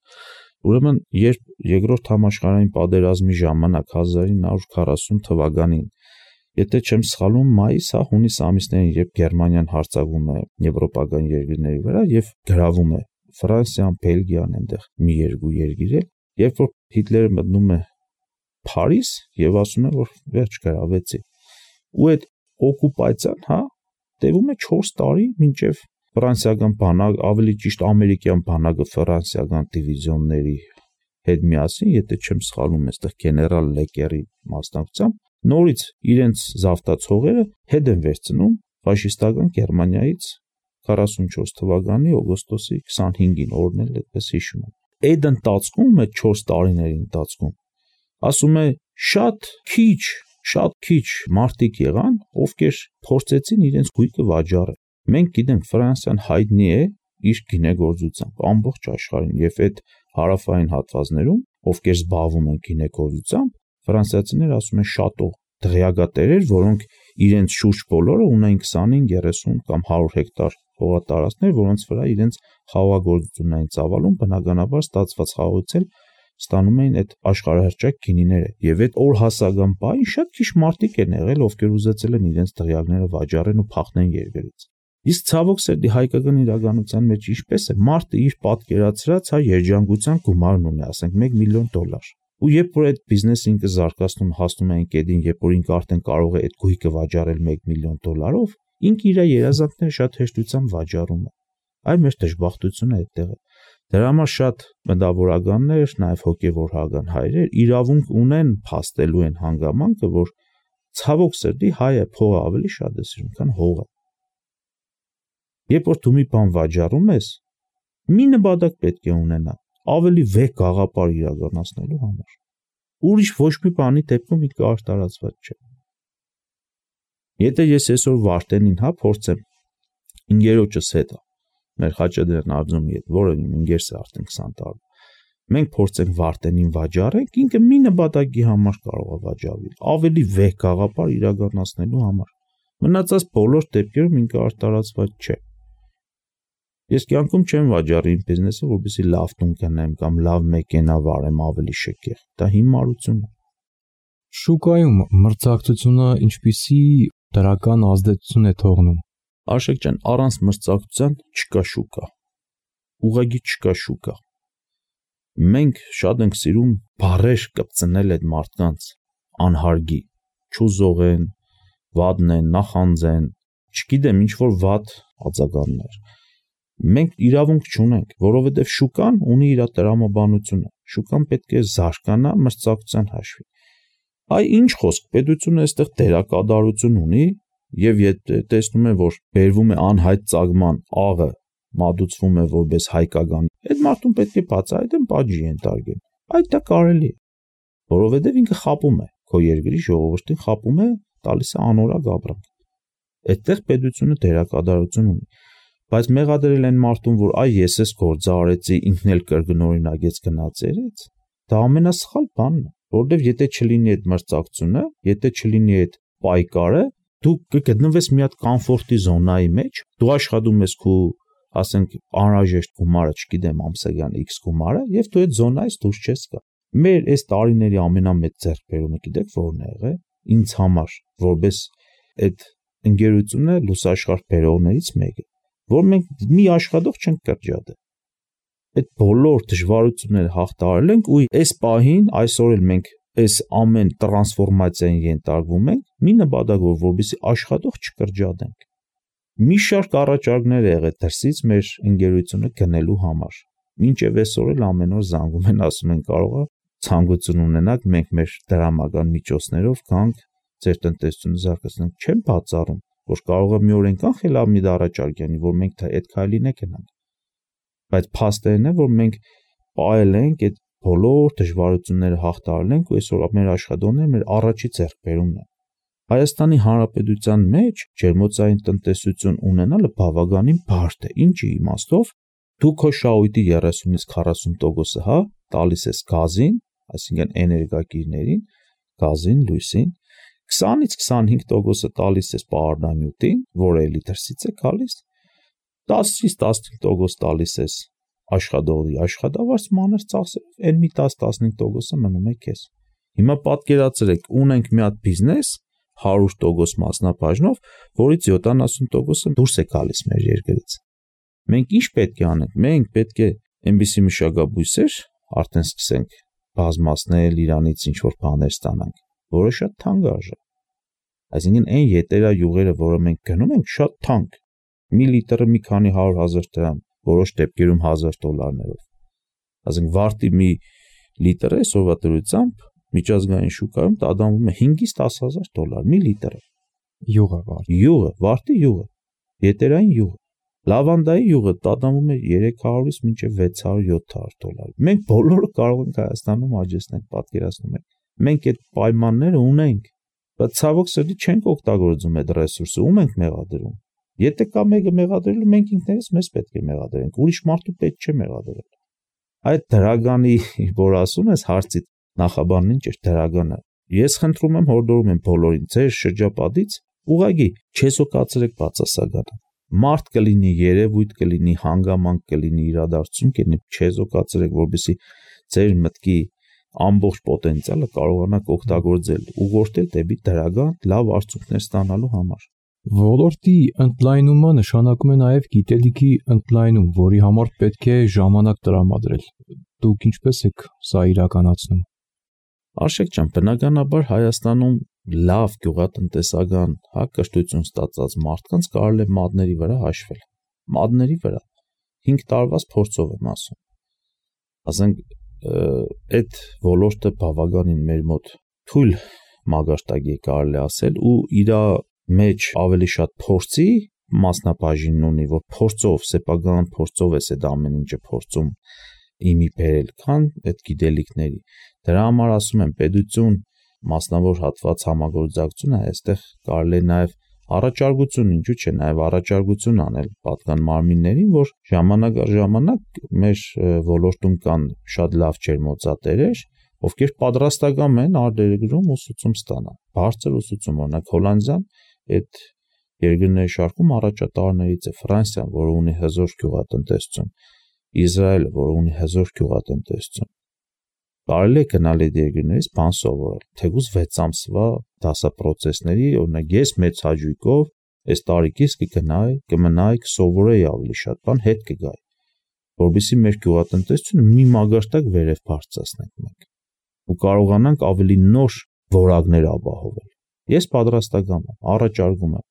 Ուրեմն, երբ երկրորդ համաշխարհային պատերազմի ժամանակ հազար ինը հարյուր քառասուն թվականին, եթե չեմ սխալվում, մայիս, հա, հունիս ամիսներին, երբ Գերմանիան հարձակվում է եվրոպական երկրների վրա եւ գրավում է Ֆրանսիան, Բելգիան, այնտեղ մի երկու երկիր է, երբ որ Հիտլերը մտնում է Փարիզ եւ ասում է, որ վերջ գրավեցի։ Ու այդ օկուպացիան, հա, տևում է չորս տարի, մինչև ֆրանսիական բանակ, ավելի ճիշտ ամերիկյան բանակը ֆրանսիական դիվիզիոնների հետ միասին, եթե չեմ սխալվում, այստեղ գեներալ Լեկերի մասնակցությամբ նորից իրենց զավթացողերը հետ են վերցնում ֆաշիստական Գերմանիայից քառասունչորս թվականի օգոստոսի քսանհինգին, օրն էլ այդպես հիշում եմ։ Այդ ընթացքում, այդ չորս տարիների ընթացքում, ասում է, շատ քիչ, շատ քիչ մարդիկ եղան, ովքեր փորձեցին իրենց գույքը վաճառել։ Մենք գիտենք, Ֆրանսիան հայտնի է իր գինեգործությամբ ամբողջ աշխարհին եւ այդ հարավային հատվածներում, ովքեր զբաղվում են գինեգործությամբ, ֆրանսիացիները ասում են շատո դղյակատերեր, որոնք իրենց շուրջ բոլորը ունեն քսանհինգ, երեսուն կամ հարյուր հեկտար հողատարածքներ, որոնց վրա իրենց խաղողագործությունային ծավալում բնականաբար ստացված խաղողից էլ ստանում էին այդ աշխարհահռչակ գինիները, եւ այդ օր հասական բային շատ քիչ մարդիկ են եղել, ովքեր ուզեցել են իրենց տղյակները վաճառեն ու փախնեն երկրից։ Իսկ ցավոք սերդի հայկական իրականության մեջ ինչպես է, մարդը իր պատկերացրած հա երջանկության գումարն ունի, ասենք մեկ միլիոն դոլար։ Ու երբ որ այդ բիզնեսը ինքը զարգացնում, հասնում է այն կետին, երբ որ ինքը արդեն կարող է այդ գույքը վաճառել մեկ միլիոն դոլարով, ինքը իր երազանքները շատ հեշտությամբ վաճառում է։ Այլ մեր դժբախտությունը այդտեղ է։ Դրա համար շատ մտավորականներ, նաև հոգևորական հայրեր իրավունք ունեն փաստելու են հանգամանքը, որ ցավոք սրտի հայը փողը ավելի շատ է սիրում, քան հողը։ Երբ որ դու մի բան վաճառում ես, մի նպատակ պետք է ունենա, ավելի վեհ գաղափար իրականացնելու համար։ Ուրիշ ոչ մի բանի դեպքում ինքը արտարացված չէ։ Եթե ես այսօր Վարդենին հա փորձեմ ինգերոջս հետ մեր Խաչատրյան Արձումի հետ, որը իմ ինգերս է արդեն քսան տարի, մենք փորձենք Վարդենին վաճառենք, ինքը մի նպատակի համար կարող է վաճառել, ավելի վեհ գաղափար իրականացնելու համար։ Մնացած բոլոր դեպքերում ինքը արտարացված չէ։ Ես կյանքում չեմ վաճառի իմ բիզնեսը, որպեսզի լավ տուն գնեմ կամ լավ մեքենա վարեմ ավելի շքեղ։ Դա հիմարություն է։ Շուկայում մրցակցությունը ինչպիսի դրական ազդեցություն է թողնում։ Արշակ ջան, առանց մրցակցության չկա շուկա։ Ուղղակի չկա շուկա։ Մենք շատ ենք սիրում բարեր կպցնել այդ մարդկանց անհարգի, չուզող են, վադն են, նախանձեն, չգիտեմ ինչ որ վատ ածականներ։ Մենք իրավունք չունենք, որովհետև շուկան ունի իր տրամաբանությունը։ Շուկան պետք է զարգանա մրցակցության հաշվի։ Այ ինչ խոսք, պետությունը այստեղ դերակատարություն ունի, եւ եթե տեսնում է, որ բերվում է անհայտ ծագման աղը, մատուցվում է որպես հայկական, այդ մարդուն պետք է բացահայտեն, պատժի ենթարկեն։ Այդ դա կարելի է, որովհետև ինքը խապում է, քո երկրի ժողովրդին խապում է, տալիս է անորակ ապրանք։ Այդտեղ պետությունը դերակատարություն ունի։ Բայց մեղադրել են մարդուն, որ այ ես էս գործը արեցի, ինքն էլ կրկնօրինակեց գնացերից, դա ամենասխալ բանն է, որովհետև եթե չլինի այդ մրցակցությունը, եթե չլինի այդ պայքարը, դու կգտնվես մի հատ կոմֆորտի զոնայի մեջ, դու աշխատում ես քո, ասենք, անհրաժեշտ գումարը, չգիտեմ, ամսական X գումարը, եւ դու այդ զոնայից դուրս չես գա։ Մեր այս տարիների ամենամեծ ձեռքբերումը գիտեք ո՞րն է եղել։ Ինձ համար, որպես այդ ընկերությունը լուսաշխարհ բերողներից մեկը, որ մենք մի աշխատող չենք կրճատել։ Այդ բոլոր դժվարությունները հաղթահարել ենք ու այս պահին այսօր էլ մենք այս ամեն տրանսֆորմացիային ենթարկվում ենք մի նպատակով, որպեսզի աշխատող չկրճատենք։ Մի շարք առաջարկներ է եղել դրսից մեր ընկերությունը գնելու համար։ Մինչև այսօր էլ ամեն օր զանգում են, ասում են կարող է ցանկություն ունենաք, մենք մեր դրամական միջոցներով կանք ձեր տնտեսությունը զարգացնենք։ Չեմ բացառում, որ կարող է մի օր այնքան խելամիտ առաջարկ անի, որ մենք այդ քայլին է գնանք։ Բայց փաստերն է, որ մենք պահել ենք այդ բոլոր դժվարությունները հաղթահարել ենք ու այսօր մեր աշխատողները մեր առաջի ձեռքբերումն է։ Հայաստանի Հանրապետության մեջ ջերմոցային տնտեսություն ունենալը բավականին բարդ է։ Ինչի իմաստով դու քո շահույթի երեսունից քառասուն տոկոսը հա տալիս ես գազին, այսինքն էներգակիրներին, գազին, լույսին, քսանից քսանհինգ տոկոսը տալիս ես պարարտանյութին, որը էլի դրսից է գալիս, տասից տասնհինգ տոկոս տալիս ես աշխատողի աշխատավարձ մանր ծախսերով, այն մի տաս տասնհինգ տոկոսը մնում է քեզ։ Հիմա պատկերացրեք, ունենք մի հատ բիզնես հարյուր տոկոս մասնաբաժնով, որից յոթանասուն տոկոսը դուրս է գալիս մեր երկրից։ Մենք ինչ պետք է անենք։ Մենք պետք է այնպիսի մշակաբույսեր արդեն սկսենք բազմացնել, իրանից ինչ որ բաներ ստանանք, որը շատ թանկ արժե։ Այսինքն այն ետերա յուղերը, որը մենք գնում ենք, շատ թանկ։ Մի լիտրը մի քանի հարյուր հազար դրամ, որոշ դեպքերում հազար դոլարներով։ Այսինքն վարտի մի լիտրը այսօրվա դրությամբ միջազգային շուկայում տադանվում է հինգից տաս հազար դոլար մի լիտրը։ Յուղը վարդի։ Յուղը, վարտի յուղը, ետերային յուղը։ Լավանդայի յուղը տադանվում է երեք հարյուրից մինչև վեց հարյուր յոթ հարյուր դոլար։ Մենք բոլորը կարող ենք Հայաստանում աճեցնել, պատկերացնում եք։ Մենք այդ պայմանները ունենք, բայց ցավոք սրտի չենք օգտագործում այդ ռեսուրսը, ում ենք մեղադրում։ Եթե կա մեկը մեղադրելու, մենք ինքներս մեզ պետք է մեղադրենք, ուրիշ մարդու պետք չէ մեղադրել։ Այդ դրագանի, որ ասում ես հարցից նախաբանն ինչ է դրագանը։ Ես խնդրում եմ, հորդորում եմ բոլորին, ձեր շրջապատից ուղղակի չեսոկացրեք բացասականը։ Մարդ կլինի, երևույթ կլինի, հանգամանք կլինի, իրադարձություն կլինի, չեսոկացրեք, որպեսզի ձեր մտքի ամբողջ պոտենցիալը կարողանաք օգտագործել, ուղղորդել դեպի դրական լավ արդյունքներ ստանալու համար։ Ոլորտի ընդլայնումը նշանակում է նաև գիտելիքի ընդլայնում, որի համար պետք է ժամանակ տրամադրել։ Դուք ինչպես եք սա իրականացնում։ Արշակ ջան, բնականաբար Հայաստանում լավ գյուղատնտեսական հակկրթություն ստացած մարդկանց կարելի է մատների վրա հաշվել։ Մատների վրա հինգ տարվա փորձով եմ ասում։ Ասենք այդ ոլորտը բավականին մեր մոտ թույլ մագարտակի կարելի ասել ու իր մեջ ավելի շատ փորձի մասնաբաժին ունի, որ փորձով, սեփական փորձով է այդ ամեն ինչը փորձում իմի բերել, քան այդ գիտելիքների։ Դրա համար ասում եմ, պետություն, մասնավոր հատված համագործակցությունը, այստեղ կարելի է նաև առաջարկություն, ինչու՞ չէ, նաև առաջարկություն անել պատկան մարմիններին, որ ժամանակ առ ժամանակ մեր ոլորտում կան շատ լավ ջերմոցատերեր, ովքեր պատրաստական են արտերկրում ուսուցում ստանալ։ Բարձր ուսուցում, օրինակ Հոլանդիան այդ երկրների շարքում առաջատարներից է, Ֆրանսիան, որը ունի հզոր գյուղատնտեսություն, Իսրայելը, որը ունի հզոր գյուղատնտեսություն։ Կարելի է գնալ այդ երկրներից բան սովորել, թեկուզ վեց ամսվա դասապրոցեսների, օրինակ ես մեծ հաճույքով այս տարիքից կգնայի, կմնայի, կսովորեի ավելի շատ բան, հետ կգայի, որովհետեւ մեր գյուղատնտեսությունը մի մագարտակ վերև բարձրացնենք մենք ու կարողանանք ավելի նոր որակներ ապահովել։ Ես պատրաստական եմ, առաջարկում եմ։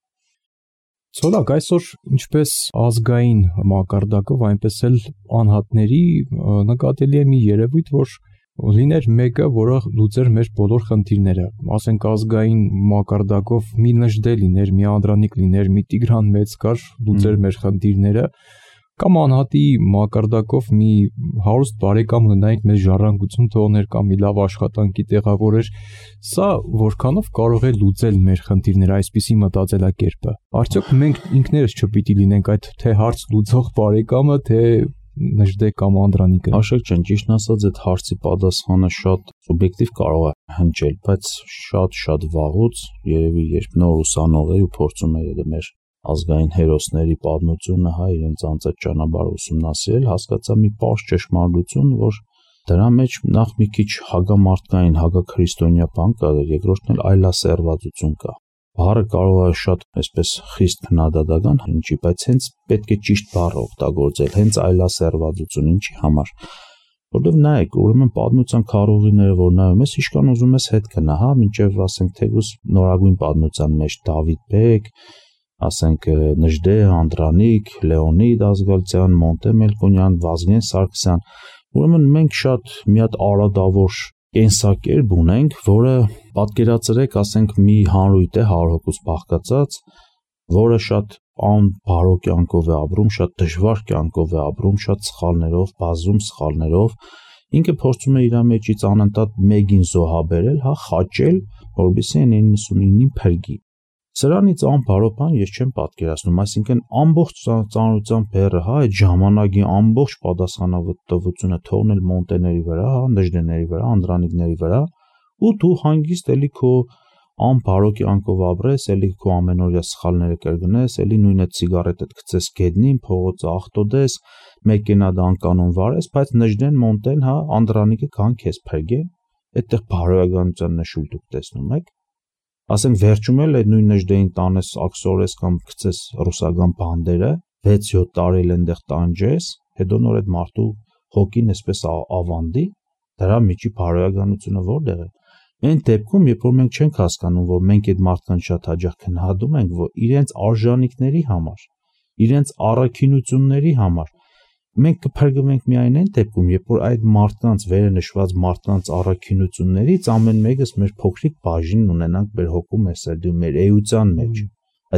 Ցոլակ, այսօր ինչպես ազգային մակարդակով, այնպես էլ անհատների նկատելի է մի երևույթ, որ լիներ մեկը, որը լուծեր մեր բոլոր խնդիրները, ասենք ազգային մակարդակով մի նժդե լիներ, մի Անդրանիկ լիներ, մի Տիգրան Մեծկար լուծեր մեր խնդիրները, կամ անհատի մակարդակով մի հարուստ բարեկամ ունենայինք, մեզ ժառանգություն թողներ կամ մի լավ աշխատանքի տեղավորեր, սա որքանով կարող է լուծել մեր խնդիրները, այսպիսի մտածելակերպը։ Արդյոք մենք ինքներս չպիտի լինենք այդ թե հարց լուծող բարեկամը, թե նժդե կամ Անդրանիկը։ Աշակ ջան, ճիշտն ասած, այդ հարցի պատասխանը շատ սուբյեկտիվ կարող է հնչել, բայց շատ-շատ վաղուց երևի երբ նոր ուսանող էր ու փորձում էր մեր ազգային հերոսների պատմությունը, հա, իրենց անցած ճանապարհը ուսումնասիրել, հասկացա մի պարզ ճշմարտություն, որ դրա մեջ նախ մի քիչ հագամարտկային, հագաքրիստոնյա բան կա, երկրորդն էլ այլասերվածություն կա։ Բառը կարող է շատ այսպես խիստ քննադատական հնչի, բայց հենց պետք է ճիշտ բառը օգտագործել, հենց այլասերվածություն, ինչի համար։ Որտեվ նայեք, ուրեմն պատմության քարոզիները, որ նայում ես, իշքան ուզում ես հետ գնա, հա, մինչև ասենք թեկուզ նորագույն պատմության մեջ Դավիթ բեկ, ասենք Նժդե, Անդրանիկ, Լեոնիդ Ազգալցյան, Մոնտե Մելքոնյան, Վազգեն Սարգսյան, ուրեմն մենք շատ մի հատ արադավոր կենսակերպ ունենք, որը պատկերացրեք, ասենք մի հանրույթ է հարյուր հոգուց բաղկացած, որը շատ անբարո կյանքով է ապրում, շատ դժվար կյանքով է ապրում, շատ սխալներով, բազում սխալներով, ինքը փորձում է իր մեջից անընդհատ մեկին զոհաբերել, հա, խաչել, որովհետեւ այն իննսունինին փրկի։ Սրանից անբարո բան ես չեմ պատկերացնում, այսինքն ամբողջ ծանրության բեռը, հա, այդ ժամանակի ամբողջ պատասխանատվությունը թողնել մոնտեների վրա, հա, նժդեների վրա, անդրանիկների վրա, ու դու հանգիստ էլի քո անբարո կյանքով ապրես, էլի քո ամենօրյա սխալները կրկնես, էլի նույնը ցիգարետդ գցես գետնին, փողոցը աղտոտես, մեքենա դանկանոն վարես, բայց նժդեն, մոնտեն, հա, անդրանիկը կան քեզ փրկեն, այդտեղ բարոյականության նշույլ դուք տեսնում եք։ Ասենք վերջում էլ այդ նույն նժդեին տանես աքսորես կամ գցես ռուսական բանդերը, վեց-յոթ տարի էլ այնտեղ տանջես, հետո նոր այդ մարդու հոգին այսպես ավանդի, դրա միջի բարոյականությունը որտեղ է։ Այն դեպքում, երբ որ մենք չենք հասկանում, որ մենք այդ մարդկանց շատ հաճախ քննադատում ենք, որ իրենց արժանինքների համար, իրենց առաքինությունների համար, մենք կփրկվենք միայն այն դեպքում, երբ որ այդ մարդկանց վերը նշված մարդկանց առաքինություններից ամեն մեկս մեր փոքրիկ բաժինն ունենանք մեր հոգու, մեր սրտի, մեր էության մեջ։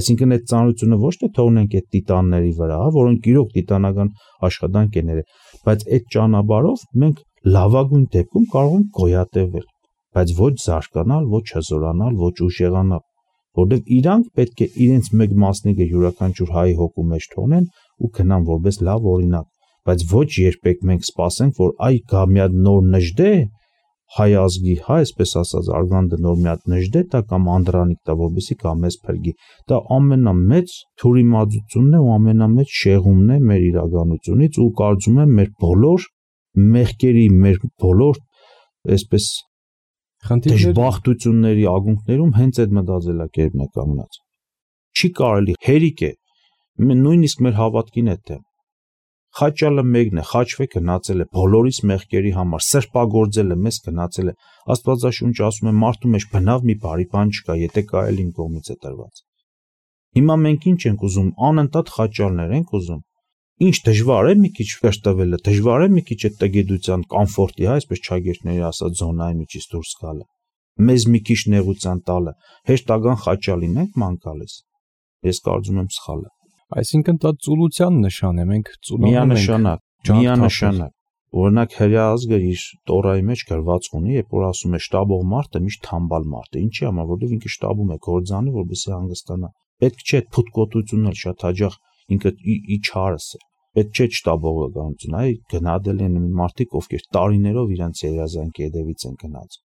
Այսինքն այդ ծանրությունը ոչ թե թողնենք այդ տիտանների վրա, որոնք իրոք տիտանական աշխատանք են ներել, բայց այդ ճանապարհով մենք լավագույն դեպքում կարող ենք գոյատևել, բայց ոչ զարգանալ, ոչ հզորանալ, ոչ ուժեղանալ, որովհետև իրանք պետք է իրենց մեկ մասնիկը յուրաքանչյուր հայի հոգու մեջ թողնեն ու գնան որպես լավ օրինակ, բայց ոչ երբեք մենք սպասենք, որ այ գա մի հատ նոր նժդե հայ ազգի, հա, այսպես ասած, արգանդը նոր մի հատ նժդե տա կամ անդրանիկ տա, որպեսզի կա մեզ փրկի։ Դա ամենամեծ թյուրիմացությունն է ու ամենամեծ շեղումն է մեր իրականությունից ու կարծում եմ մեր բոլոր մեղքերի մեր բոլոր այսպես դժբախտությունների ակունքներում հենց այդ մտածելակերպն է կանգնած։ Չի կարելի, հերիք է, նույնիսկ մեր հավատքին է դեմ։ Խաչալը մեկն է, խաչվե գնացել է բոլորիս մեղքերի համար, սրբագործել է, մեզ գնացել է։ Աստվածաշունչը ասում է մարդու մեջ բնավ մի բարի բան չկա, եթե կա էլ իմ կողմից է տրված։ Հիմա մենք ինչ ենք ուզում, անընդհատ խաչալներ ենք ուզում։ Ինչ դժվար է մի քիչ կշտվելը, դժվար է մի քիչ այդ տգիտության կոմֆորտի, հա, այսպես չագերտների ասած զոնայի միջից դուրս գալը։ Մեզ մի քիչ նեղության տալը, հեշտական խաչալին ենք ման գալիս։ Ես կարծում եմ սխալ է։ Այսինքն դա ծուլության նշան է, մենք ծուլանում ենք։ Միանշանակ, միանշանակ։ Օրինակ հրյա ազգը իր տորայի մեջ գրված ունի, երբ որ ասում է շտաբող մարդը միշտ թամբալ մարդ է։ Ինչի՞ համար, որովհետև ինքը շտաբում է գործանի, որպեսզի հանգստանա։ Պետք չէ փութկոտությունն էլ շատ հաճախ ինքը ի չարս է։ Պետք չէ շտաբողը գանություն, այ գնադել են մարդիկ, ովքեր տարիներով իրենց երազանքի հետևից են գնաց։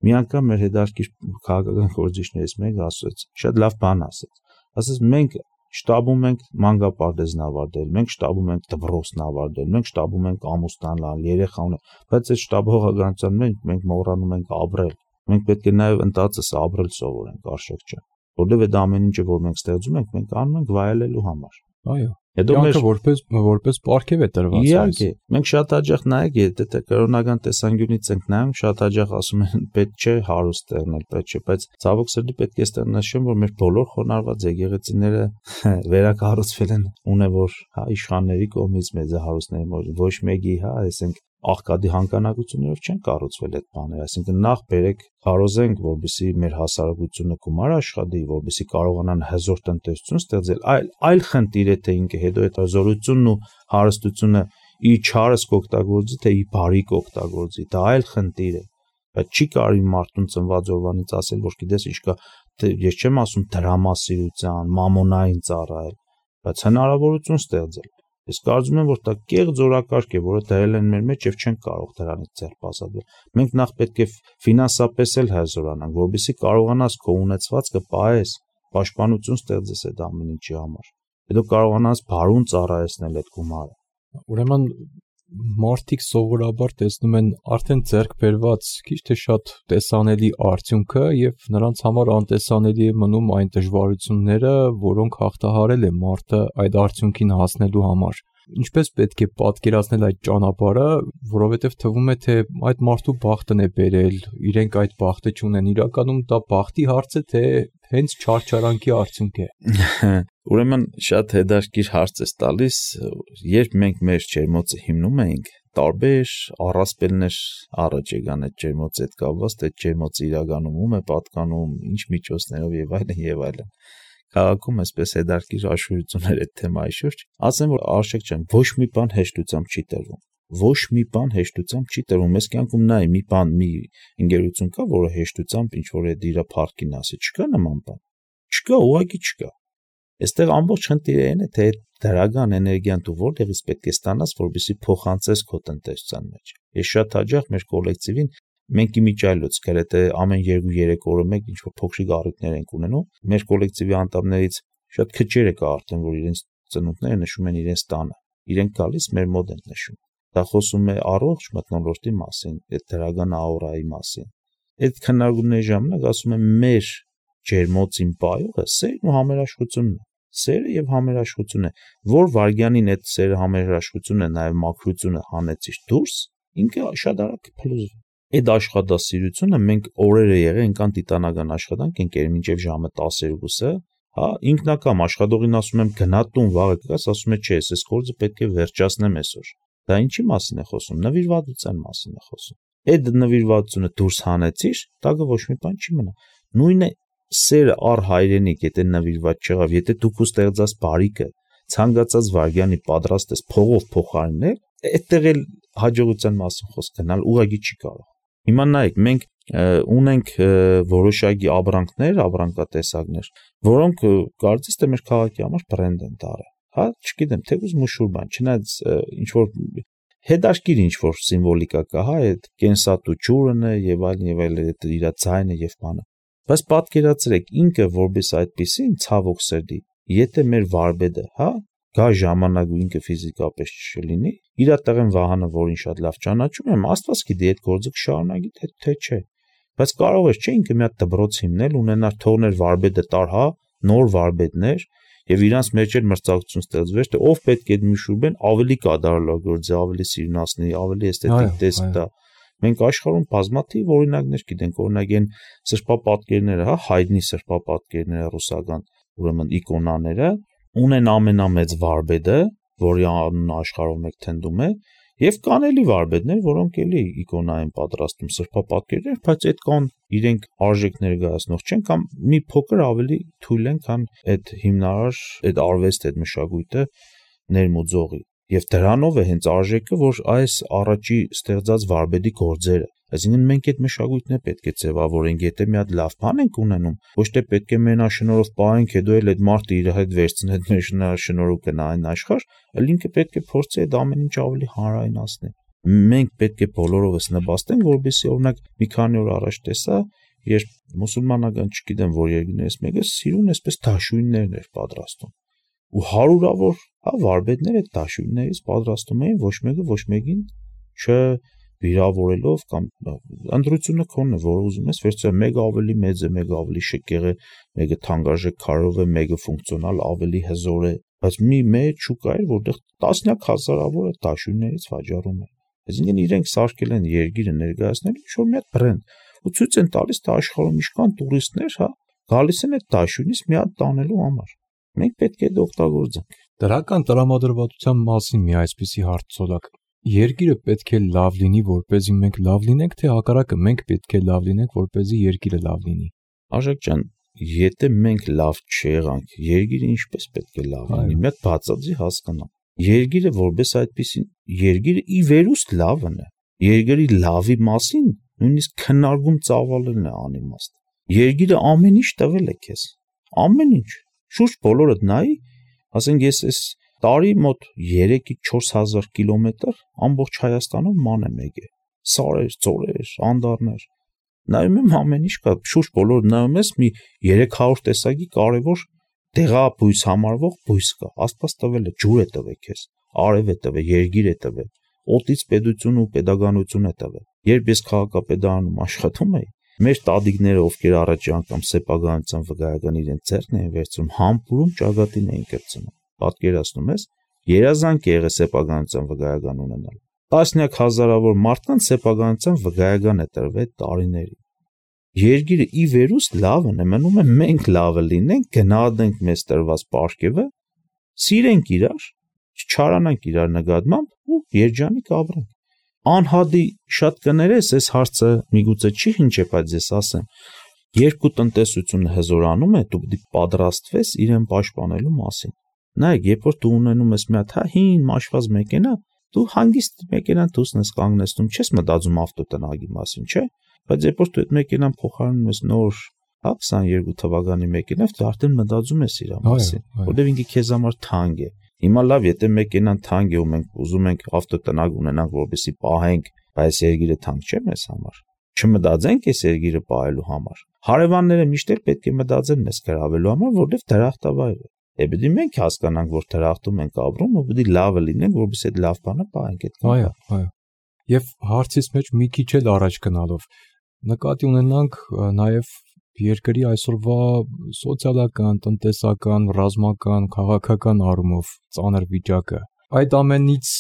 Մի անգամ մեր հետարքիր քաղաքական գործիչներից մեկը ասաց, շատ լավ բան ասաց։ Ասաց մենք շտաբում ենք մանկապարտեզն ավարտել, մենք շտաբում ենք դպրոցն ավարտել, մենք շտաբում ենք ամուսնան լալ, երեխա ունենալ, բայց այդ շտաբողը գանության մենք մենք մոռանում ենք ապրել։ Մենք պետք է նաև ընտածս ապրել սովորենք, արժեք չէ։ Որովհետև այդ ամեն ինչը, որ մենք ստեղծում ենք, մենք անում ենք վայելելու համար։ Այո։ Հետո մեր որպես որպես պարգև է տրված։ Իհարկե, մենք շատ հաճախ նայեք, եթե կրոնական տեսանկյունից ենք նայում, շատ հաճախ ասում են պետք չէ հարուստ ստեղնել, պետք չէ, բայց ցավոք սրտի պետք է ստեղ նշեմ, որ մեր բոլոր խոնարհված եկեղեցիները վերակառուցվել են ունևոր, հա, իշխանների կողմից մեծ հարուստների, ոչ մեկի, հա, այսինքն աղքատի հանգանակություններով չեն կառուցվել այդ բաները, այսինքն նախ բերեք քարոզենք, որպեսզի մեր հասարակությունը գումար աշխատի, որպեսզի կարողանան հզոր տնտեսություն ստեղծել, այլ այլ խնդիր է թե ինքը հետո այդ հզորությունն ու հարստությունը ի չարս կօգտագործի, թե ի բարի կօգտագործի, դա այլ խնդիր է, բայց չի կարելի մարդուն ծնված օրվանից ասել, որ գիտես ինչ կա, ես չեմ ասում դրամասիրության, մամոնային ծառայել, բայց հնարավորություն ստեղծել։ Ես կարծում եմ, որ դա կեղծ օրակարգ է, որը դրել են մեր մեջ եւ չեն կարող դրանից ձերբազատվել։ Մենք նախ պետք է ֆինանսապես էլ հզորանանք, որովհետեւ կարողանաս քո ունեցվածքը պահես, պաշտպանություն ստեղծես այդ ամեն ինչի համար։ Հետո կարողանաս բարուն ծառայեցնել այդ գումարը։ Ուրեմն մարդիկ սովորաբար տեսնում են արդեն ձեռք բերված քիչ թե շատ տեսանելի արդյունքը եւ նրանց համար անտեսանելի է մնում այն դժվարությունները, որոնք հաղթահարել է մարդը այդ արդյունքին հասնելու համար։ Ինչպես պետք է պատկերացնել այդ ճանապարհը, որովհետև թվում է, թե այդ մարդու բախտն է բերել, իրենք այդ բախտը չունեն, իրականում դա բախտի հարց է, թե հենց չարչարանքի արդյունք է։ Ուրեմն շատ հետաքրքիր հարց է տալիս, երբ մենք մեր ջերմոցը հիմնում էինք, տարբեր առասպելներ առաջ եկան այդ ջերմոցի հետ կապված, թե ջերմոցը իրականում ում է պատկանում, ինչ միջոցներով եւ այլն եւ այլն։ Քաղաքում այսպես հետաքրքիր աշխուժություններ այդ թեմայի շուրջ, ասեմ, որ արժեք չեմ, ոչ մի բան հեշտությամբ չի տրվում։ Ոչ մի բան հեշտությամբ չի տրվում։ Ես կյանքում նայ մի բան, մի ընկերություն կա, որը հեշտությամբ ինչ որ է դիրա փառքին ասի, չկա նման բան։ Չկա, ուղղակի չկա։ Այստեղ ամբողջ խնդիրը այն է, թե դրական էներգիան դու որտեղից պետք է ստանաս, որպեսզի փոխանցես քո տնտեսության մեջ։ Ես շատ հաճախ մեր կոլեկտիվին մենք իմիջայլոց գրեթե ամեն երկու-երեք օրը մեկ ինչ որ փոքրիկ առիթներ ենք ունենում։ Մեր կոլեկտիվի անդամներից շատ քչերը կա արդեն, որ իրենց ծնունդները նշում են իրենց տանը։ Իրենք գալիս մեր մոտ են նշում։ Դա խոսում է առողջ մթնոլորտի մասին, այդ դրական աուրայի մասին։ Այդ քննարկումների ժամանակ ասում եմ մեր ջերմոցին պայողը սերն ու համերաշխությունն է։ Սերը եւ համերաշխությունը, որ վարգյանին այդ սերը համերաշխությունը նաեւ մաքրությունը հանեցից դուրս, ինքը շատ արագ կփլուզվի։ Այդ աշխատասիրությունը մենք օրերը եղել ենք տիտանական աշխատանք ենք եղել մինչև ժամը տասներկուսը, հա, ինքնակամ աշխատողին ասում եմ գնա տուն վաղը կգաս, ասում է չէ, ես այս գործը պետք է վերջացնեմ այսօր։ Դա ինչի մասին է խոսում, նվիրվածության մասին է խոսում։ Այդ նվիրվածությունը դուրս հանեցիր, տակը ոչ մի բան չի մնա։ Նույնը սերը առ հայրենիք, եթե նվիրված չեղավ, եթե դուք ու ստեղծած բարիկը ցանկացած վարգյանի պատրաստ ես փողով փոխարինել, այդտեղ էլ հաջողության մասին խոսք գնալ ուղղակի չի կարող։ Հիմա նայեք, մենք ունենք որոշակի ապրանքներ, ապրանքատեսակներ, որոնք կարծես թե մեր քաղաքի համար բրենդ են դարել։ Հա, չգիտեմ, թեկուզ մուշուր բան, չնայած ինչ որ հետաքրքիր ինչ որ սիմվոլիկա կա, հա, այդ կենսատու ջուրն է եւ այլն եւ այլն, այդ իր ձայնը եւ բանը։ Բայց պատկերացրեք, ինքը որպես այդպեսին ցավոք սրտի, եթե մեր վարպետը, հա, գա ժամանակ ու ինքը ֆիզիկապես չլինի, իր տեղեն Վահանը, որին շատ լավ ճանաչում եմ, Աստված գիտի այդ գործը կշարունակի թե թե չէ։ Բայց կարող էր չէ ինքը մի հատ դբրոց հիմնել, ունենար թողներ վարպետը տար, հա, նոր վարպետներ, եւ իրանց մեջ էլ մրցակցություն ստեղծվեց, թե ով պետք է Միշուրբեն ավելի կատարելագործի, ավելի սիրունացնի, ավելի էսթետիկ տեսք տա։ Մենք աշխարհում բազմաթիվ օրինակներ գիտենք, օրինակ այն սրբապատկերները, հա, հայտնի սրբապատկերները ռուսական, ուրեմն իկոնաները ունեն ամենամեծ վարպետը, որի անունը աշխարհում եք թնդում է, եւ կան էլի վարպետներ, որոնք էլի իկոնա են պատրաստում սրբապատկերներ, բայց այդ կան իրենք արժեք ներկայացնող չեն կամ մի փոքր ավելի թույլ են, քան այդ հիմնարար, այդ արվեստ, այդ մշակույթը ներմուծողի։ Եվ դրանով է հենց արժեքը, որ այս առաջի ստեղծած վարպետի գործերը, այսինքն մենք այդ մշակույթն է պետք է ձևավորենք, եթե մի հատ լավ բան ենք ունենում, ոչ թե պետք է մենաշնորհով պահենք, հետո էլ այդ մարդը իր հետ վերցնի այդ մենաշնորհով գնա այն աշխարհ, այլ ինքը պետք է փորձի այդ ամեն ինչ ավելի հանրայնացնել։ Մենք պետք է բոլորովս նպաստենք, որովհետեւ օրինակ մի քանի օր առաջ տեսա, երբ մուսուլմանական, չգիտեմ որ երկրներից մեկը սիրուն այսպես դաշույններն էր պատրաստում։ Ու հարյուրավոր հա վարպետներ այդ դաշույններից պատրաստում էին, ոչ մեկը ոչ մեկին չվիրավորելով կամ ընտրությունը քոնն է, որ ուզում ես վերցնել, մեկը ավելի մեծ է, մեկը ավելի շքեղ է, մեկը թանկարժեք քարով է, մեկը ֆունկցիոնալ ավելի հզոր է, բայց մի մեծ շուկա էր, որտեղ տասնյակ հազարավոր այդ դաշույններից վաճառում են։ Այսինքն իրենք սարքել են երկիրը ներկայացնել ինչ-որ մի հատ բրենդ ու ցույց են տալիս, թե աշխարհում ինչքան տուրիստներ, հա, գալիս են այդ դաշույնից մի հատ տանելու համար։ Մենք պետք է դա օգտագործենք։ Դրական տրամադրվածության մասին մի այսպիսի հարց ցոլակ։ Երկիրը պետք է լավ լինի, որպեսզի մենք լավ լինենք, թե հակառակը մենք պետք է լավ լինենք, որպեսզի երկիրը լավ լինի։ Աշակ ջան, եթե մենք լավ չեղանք, երկիրը ինչպես պետք է լավ լինի։ Մի հատ բացածի հասկանամ։ Երկիրը որպես այդպեսին, երկիրը ի վերուստ լավն է։ Երկրի լավի մասին նույնիսկ քննարկում ծավալելն է անիմաստ։ Երկիրը ամեն ինչ տվել է քեզ։ Ամեն ինչ։ Շուրջ բոլորդ նայի, ասենք ես այս տարի մոտ երեքից չորս հազար կիլոմետր ամբողջ Հայաստանում ման եմ եկել։ Սարեր, ծորեր, անդառներ։ Նայում եմ ամեն ինչ կա, շուրջ բոլորդ նայում ես մի երեք հարյուր տեսակի կարևոր դեղաբույս համարվող բույս կա։ Աստված տվել է, ջուր է տվել քեզ, արև է տվել, երգիր է տվել, օդից պետություն ու pedagoganություն է տվել։ Երբ ես քաղաքապետարանում աշխատում էի, մեր տատիկները, ովքեր առաջի անգամ սեփականության վկայական իրենց ձեռքն էին վերցնում, համբուրում ճակատին էին կրծնում։ Պատկերացնում ես, երազանք եղե սեփականության վկայական ունենալ։ Տասնյակ հազարավոր մարդկանց սեփականության վկայական է տրվել տարիների։ Երկիրը ի վերուստ լավն է, մնում է մենք լավը լինենք, գնահատենք մեզ տրված պարգևը, սիրենք իրար, չչարանանք իրար նկատմամբ ու երջանիկ ապրենք։ Անհադի շատ կներես, այս հարցը միգուցե չի հնչե, բայց ես ասեմ, երկու տնտեսությունը հզորանում է, դու պետք է պատրաստվես իրեն պաշտպանելու մասին։ Նայեք, երբ որ դու ունենում ես մի հատ հին մաշված մեքենա, դու հանգիստ մեքենան դուսն ես կանգնեցնում, չես մտածում ավտոտնագի մասին, չէ՞։ Բայց երբ որ դու այդ մեքենան փոխարինում ես նոր, հա, քսաներկու թվականի մեքենա, դու արդեն մտածում ես իր մասին, որտեղ ինքը քեզ համար թանկ է։ Հիմա լավ, եթե մեքենան թանկ է ու մենք ուզում ենք ավտոտնակ ունենանք, որպեսզի պահենք, բայց երկիրը թանկ չէ մեզ համար։ Չմտածենք այս երկիրը պահելու համար։ Հարևանները միշտ էլ պետք է մտածեն մեզ գրավելու համար, որովհետև դրախտավայր է։ Է պետք է մենք հասկանանք, որ դրախտում ենք ապրում, ու պետք է լավը լինենք, որպեսզի այդ լավ բանը պահենք այդ։ Այո, այո։ Եվ հարցից մեջ մի քիչ էլ առաջ գնալով նկատի ունենանք նաև երկրի այսօրվա սոցիալական, տնտեսական, ռազմական, քաղաքական առումով ծանր վիճակը։ Այդ ամենից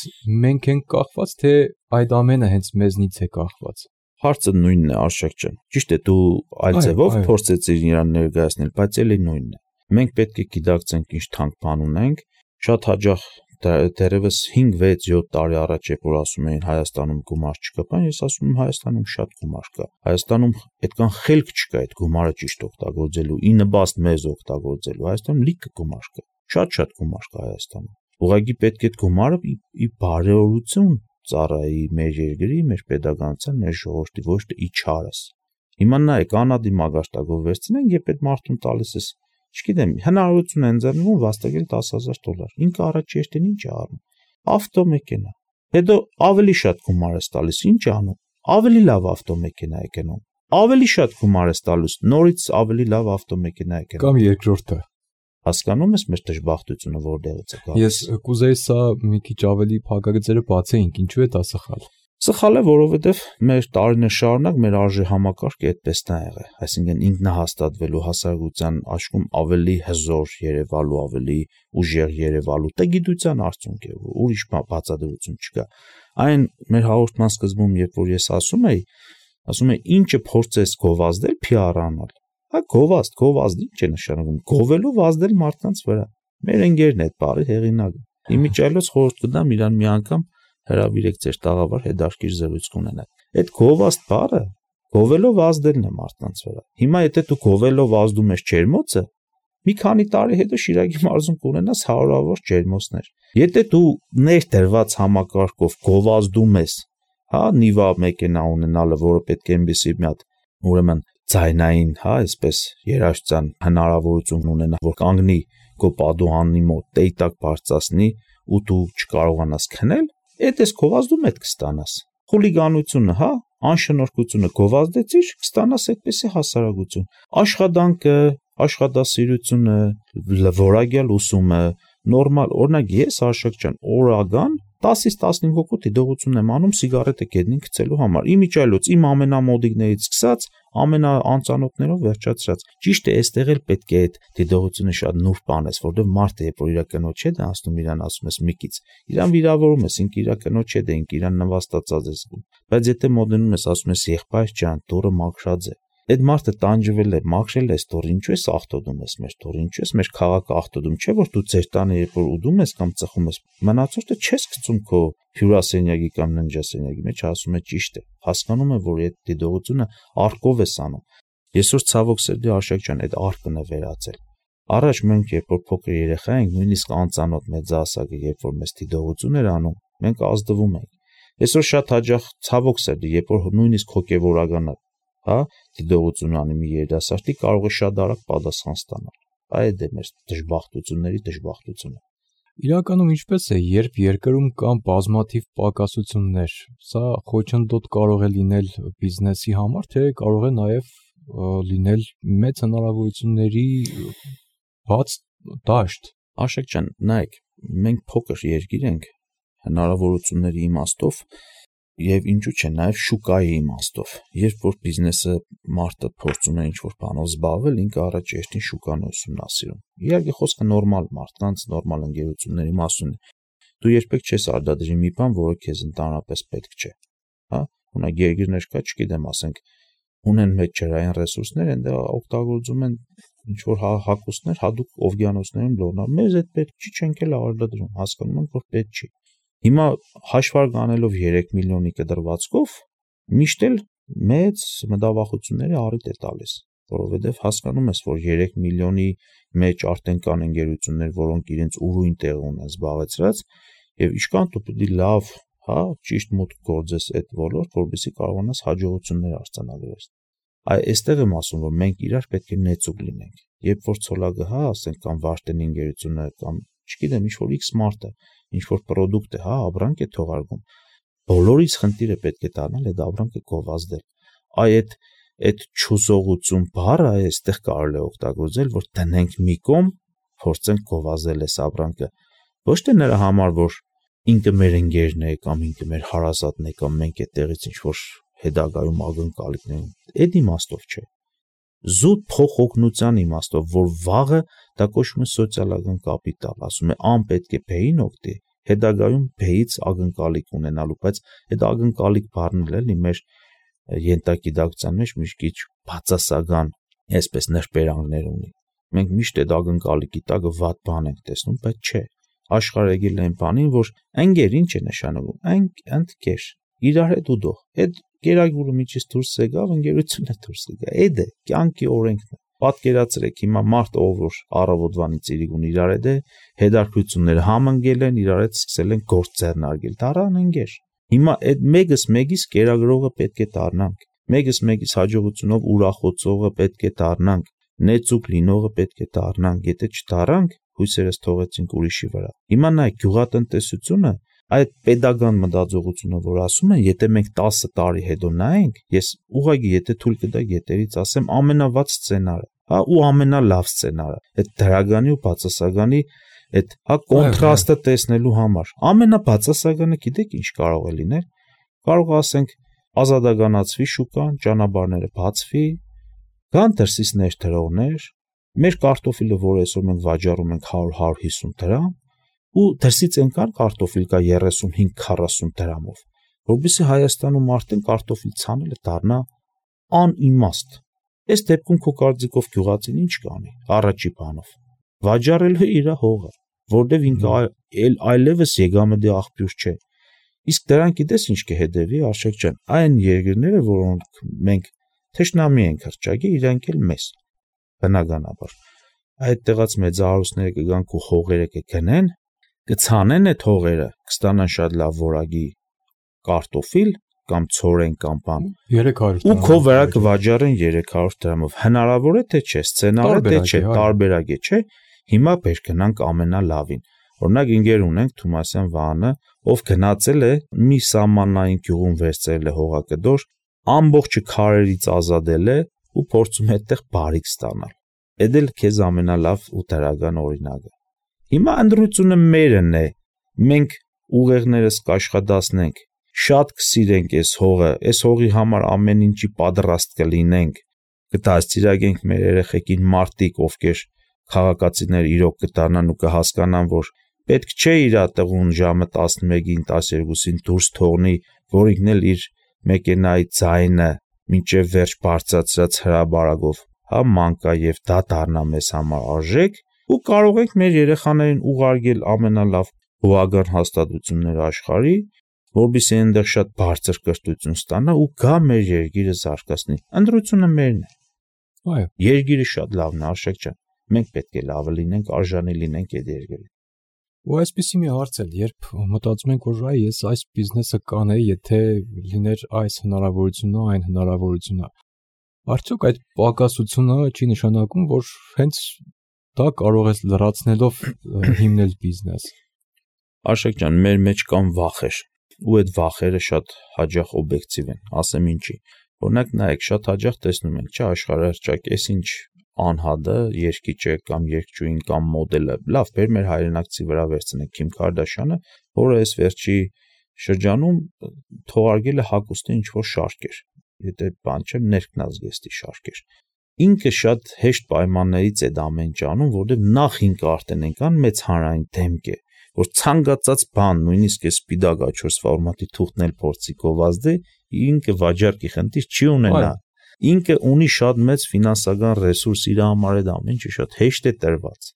մենք ենք կախված, թե այդ ամենը հենց մեզնից է կախված։ Հարցը նույնն է, Արշակ ջան։ Ճիշտ է, դու այլ ձևով փորձեցիր իրան ներկայացնել, բայց էլի նույնն է։ Մենք պետք է գիտակցենք ինչ թանկ բան ունենք, շատ հաճախ դերևս հինգ վեց յոթ տարի առաջ երբ որ ասում էին Հայաստանում գումար չկա, բան ես ասում եմ Հայաստանում շատ գումար կա։ Հայաստանում այդքան խելք չկա այդ գումարը ճիշտ օգտագործելու, ի նպաստ մեզ օգտագործելու։ Հայաստանում լիքը գումար կա, շատ-շատ գումար կա Հայաստանում։ Ուղղակի պետք է այդ գումարը ի բարեհորություն ծառայի մեր երկրի, մեր pedagoganության, մեր ժողովրդի, ոչ թե ի չարս։ Հիմա նայեք, անադի մագարտակով վերցնենք, երբ այդ մարդուն տալիս ես, չգիտեմ, հնարավորություն են ձեռնվում վաստակել դաս հազար դոլար։ Ինքը առաջ երթին ինչ է անում։ Ավտոմեքենա։ Հետո ավելի շատ գումար ես տալիս, ինչ է անում։ Ավելի լավ ավտոմեքենա է գնում։ Ավելի շատ գումար ես տալիս, նորից ավելի լավ ավտոմեքենա է գնում։ Կամ երկրորդը։ Հասկանում ես մեր դժբախտությունը որտեղից է գալիս։ Ես կուզեի սա մի քիչ ավելի փակագծերը բացեինք, ինչու է դա սխալ։ Սխալ է, որովհետև մեր տարիներ շարունակ մեր արժե համակարգը այդպես է եղել, այսինքն ինքնահաստատվելու, հասարակության աչքում ավելի հզոր երևալու, ավելի ուժեղ երևալու, դա գիտության արդյունք է, ուրիշ բացատրություն չկա։ Այն մեր հաղորդման սկզբում, երբ որ ես ասում էի, ասում էի, ինչը փորձես գովազդել, P R անալ։ Հա գովազդ, գովազդ ինչ է նշանակում։ Գովելով ազդել մարդկանց վրա։ Մեր ընկերն է այդ բառի հեղինակը։ Իմիջիայլոց խորհուրդ կտամ իրան մի անգամ հրավիրեք ձեր տաղավար հետարքիր զրույց կունենաք։ Այդ գովազդ բառը գովելով ազդելն է մարդկանց վրա։ Հիմա եթե դու գովելով ազդում ես ջերմոցը, մի քանի տարի հետո Շիրակի մարզում կունենաս հարյուրավոր ջերմոցներ։ Եթե դու ներդրված համակարգով գովազդում ես, հա, նիվա մեքենա ունենալը, որը պետք է այնպեսի մի հատ, ուրեմն ձայնային, հա, այսպես երաժշտության հնարավորություն ունենա, որ կանգնի քո պատուհանի մոտ, տեյտակ բարձրացնի ու դու չկարողանաս քնել, այդ էս գովազդում հետ կստանաս։ Խուլիգանությունը, հա, անշնորհքությունը գովազդեցիր, կստանաս այդպեսի հասարակություն։ Աշխատանքը, աշխատասիրությունը, որակյալ ուսումը, նորմալ, օրինակ ես Արշակ ջան, օրական տասից տասնհինգ հոգու դիտողություն եմ անում սիգարետը գետնին գցելու համար։ Իմիջիայլոց իմ ամենամոդիկներից սկսած, ամենաանծանոթներով վերջացրած։ Ճիշտ է, այստեղ էլ պետք է այդ դիտողությունը շատ նուրբ բանես, որովհետև մարդը երբ որ իր կնոջ հետ է ասում, իրան ասում ես մի քիչ, իրան վիրավորում ես, ինքը իր կնոջ հետ է, ինքը իրան նվաստացած է զգում։ Բայց եթե մոդնում ես ասում ես եղբայր ջան, դուրը մաքրած է, այդ մարդը տանջվել է, մաքրել է ստոր, ինչու ես աղտոտում ես մեր ստոր, ինչու ես մեր քաղաքը աղտոտում, չէ՞ որ դու ձեր տանը երբ որ ուդում ես կամ ծխում ես, մնացորդը չես գցում քո հյուրասենյակի կամ ննջասենյակի մեջ, ասում է ճիշտ է, հասկանում է, որ այդ դիտողությունը արկով ես անում։ Այսօր ցավոք սրտի Արշակ ջան, այդ արկն է վերածել։ Առաջ մենք երբ որ փոքր երեխա ենք, նույնիսկ անծանոթ մեծահասակը երբ որ մեզ դիտողություն էր անում, մենք ազդվում ենք։ Այսօր շատ հաճախ ցավոք սրտի, երբ որ նույնիսկ հոգևորականը, հա, դիտողություն անի մի երիտասարդի, կարող է շատ արագ պատասխան ստանալ։ Այդ է մեր դժբախտությունների դժբախտությունը։ Իրականում ինչպես է, երբ երկրում կան բազմաթիվ պակասություններ, սա խոչընդոտ կարող է լինել բիզնեսի համար, թե կարող է նաև լինել մեծ հնարավորությունների բաց դաշտ։ Արշակ ջան, նայեք, մենք փոքր երկիր ենք, հնարավորությունների իմաստով եւ ինչու՞ չէ, նաեւ շուկայի իմաստով։ Երբ որ բիզնեսը մարդը փորձում է ինչ-որ բանով զբաղվել, ինքը առաջ երթին շուկան ուսումնասիրում։ Իհարկե խոսքը նորմալ մարդկանց, նորմալ ընկերությունների մասին է։ Դու երբեք չես արտադրի մի բան, որը քեզ ընդհանրապես պետք չէ։ Հա, ունակ երկիրներ կա, չգիտեմ, ասենք, ունեն մեծ ջրային ռեսուրսներ, այնտեղ օգտագործում են ինչ-որ հակոստներ, հadoop օվկիանոսներում լորնա։ Մեզ այդ պետք չի, չենք էլ արտադրում, հասկանում ենք, որ պետք չի։ Հիմա հաշվարկ անելով երեք միլիոնի կդրվածքով միշտ էլ մեծ մտավախությունների առիթ է տալիս, որովհետև հասկանում ես, որ երեք միլիոնի մեջ արդեն կան ընկերություններ, որոնք իրենց ուրույն տեղ ունեն զբաղեցրած, եւ իշքան դու պետք է լավ, հա, ճիշտ մուտք գործես այդ ոլորտ, որովհետեւ կարողանաս հաջողություններ արձանագրես։ Այ այստեղ եմ ասում, որ մենք իրար պետք է նեցուկ լինենք։ Երբ որ ցոլակը, հա, ասենք կամ Վարդենի ընկերությունը կամ չգիտեմ, ինչ որ X մարտը, ինչ որ product է, հա, ապրանք է թողարկում։ Բոլորից խնդիրը պետք է դառնալ այդ ապրանքը գովազդել։ Այ այդ այդ չուսողություն բառը այստեղ կարելի է օգտագործել, որ տնենք մի կողմ, փորձենք գովազդել այս ապրանքը։ Ոչ թե նրա համար, որ ինքը մեր ընկերն է կամ ինքը մեր հարազատն է կամ մենք այդտեղից ինչ որ հետագայում ակնկալիքներ ունենք։ Այդ իմաստով չէ։ Զուտ փոխօգնության իմաստով, որ վաղը դա կոչվում է սոցիալական կապիտալ, ասում է ան պետք է բեին օգտի, հետագայում բեից ակնկալիք ունենալու, բայց այդ ակնկալիք բառն էլ էլի մեր ենթագիտակցության մեջ մի քիչ բացասական, այսպես նրբերանգներ ունի։ Մենք միշտ այդ ակնկալիքի տակը վատ բան ենք տեսնում, բայց չէ։ Աշխարհը եկել է այն բանին, որ ընկեր ինչ է նշանակում, այն ընկեր, իրար հետ ուդող, այդ գերագուրը միջից դուրս եկավ, ընկերությունը դուրս եկավ, այդ է, կյանքի օրենքն է։ Պատկերացրեք, հիմա մարդ ով որ առավոտվանից իրիկուն իրար հետ է, հետարքությունները համընկել են, իրար հետ սկսել են գործ ձեռնարկել, դառան ընկեր։ Հիմա այդ մեկս մեկից կերակրողը պետք է դառնանք, մեկս մեկից հաջողությունով ուրախոցողը պետք է դառնանք, նեցուկ լինողը պետք է դառնանք, եթե չդառնանք, հույսերս թողեցինք ուրիշի վրա։ Հիմա նայ գյուղատնտեսությունը, այդ pedagogan մտածողությունը, որ ասում են, եթե մենք տասը տարի հետո նայենք, ես ուղղակի եթե թույլ կտա գետերից ասեմ ամենավատ սցենարը, հա ու ամենալավ սցենարը, այդ դրագանի ու բացասականի այդ հա կոնտրաստը տեսնելու համար։ Ամենաբացասականը գիտեք ինչ կարող է լինել։ Կարող ասենք ազատականացվի շուկան, ճանապարհները բացվի, կան դրսից ներդրողներ, մեր կարտոֆիլը, որ այսօր մենք վաճառում ենք հարյուր հարյուր հիսուն դրամ, ու դրսից ենքան կարտոֆիլ կա երեսունհինգ քառասուն դրամով, որովհետեւ Հայաստանում արդեն կարտոֆիլ ցանելը դառնա անիմաստ։ Այս դեպքում քո կարծիքով գյուղացին ինչ կանի առաջի բանով։ Վաճառելու իր հողը, որտեվ ինքը այլ այլևս եկամտի աղբյուր չէ։ Իսկ դրան գիտես ինչ կհետևի, Արշակ ջան, այն երկրները, որոնք մենք թշնամի ենք հրճակի, իրանք էլ մեզ։ Բնականաբար այդ տեղած մեծահարուստները կգան ու հողերը կգնեն, կցանեն այդ հողերը, կստանան շատ լավ որակի կարտոֆիլ կամ ցորեն կամ բան երեք հարյուր ու քո վրա կվաճառեն երեք հարյուր դրամով։ Հնարավոր է թե չէ, սցենարը թե չէ, տարբերակ է, չէ։ Հիմա բեր գնանք ամենալավին։ Օրինակ ինգեր ունենք Թումասյան Վահանը, ով գնացել է մի սահմանային գյուղում վերցրել է հողակդոր, ամբողջը քարերից ազատել է ու փորձում է այդտեղ բարիք ստանալ։ Էդ էլ քեզ ամենալավ ու դրական օրինակը։ Հիմա ընդրությունը մերն է։ Մենք ուղեղներս կաշխատացնենք, շատ կսիրենք այս հողը, այս հողի համար ամեն ինչի պատրաստ կլինենք, կդաստիարակենք մեր երեխեքին մարտիկ, ովքեր քաղաքացիներ իրոք կդառնան ու կհասկանան, որ պետք չէ իր տեղուն ժամը տասնմեկին, տասներկուսին դուրս թողնի, որ ինքն էլ իր մեքենայի ձայնը մինչև վերջ բարձրացրած հրաբարակով, հա մանկա եւ դա դառնա մեզ համար արժեք, ու կարող ենք մեր երեխաներին ուղարկել ամենալավ հողական հաստատություններ աշխարհի, որովհետեւ այնտեղ շատ բարձր կրթություն ստանա ու գա մեր երկիրը զարգացնի։ Ընդրությունը մերն է։ Այո։ Երկիրը շատ լավն է, Արշակ ջան։ Մենք պետք է լավը լինենք, արժանի լինենք այդ երկրին։ Ու այսպեսի մի հարց էլ, երբ մտածում ենք, որ այ ես այս բիզնեսը կանեի, եթե լիներ այս հնարավորությունը, այն հնարավորությունը, արդյոք այդ պակասությունը չի նշանակում, որ հենց դա կարող ես լրացնելով հիմնել բիզնես։ Արշակ ջան, մեր մեջ կան վախեր, ու այդ վախերը շատ հաճախ օբյեկտիվ են, ասեմ ինչի։ Օրինակ նայեք, շատ հաճախ տեսնում ենք, չէ, աշխարհահռչակ, էս ինչ անհատը, երկիչը կամ երկչույն կամ մոդելը, լավ, բեր մեր հայրենակցի վրա վերցնենք Քիմ Քարդաշյանը, որը այս վերջի շրջանում թողարկել է հագուստի ինչ-որ շարքեր, եթե բան չէ, ներքնազգեստի շարքեր։ Ինքը շատ հեշտ պայմաններից է դա ամեն ինչ անում, որովհետև նախ ինքը արդեն այնքան մեծ հանրային դեմք է, որ ցանկացած բան, նույնիսկ այս սպիտակ աչոս ֆորմատի թուղթն էլ փորձի գովազդի, ինքը վաճառքի խնդիր չի ունենա։ Ինքը ունի շատ մեծ ֆինանսական ռեսուրս, իր համար այդ ամեն ինչը շատ հեշտ է տրված։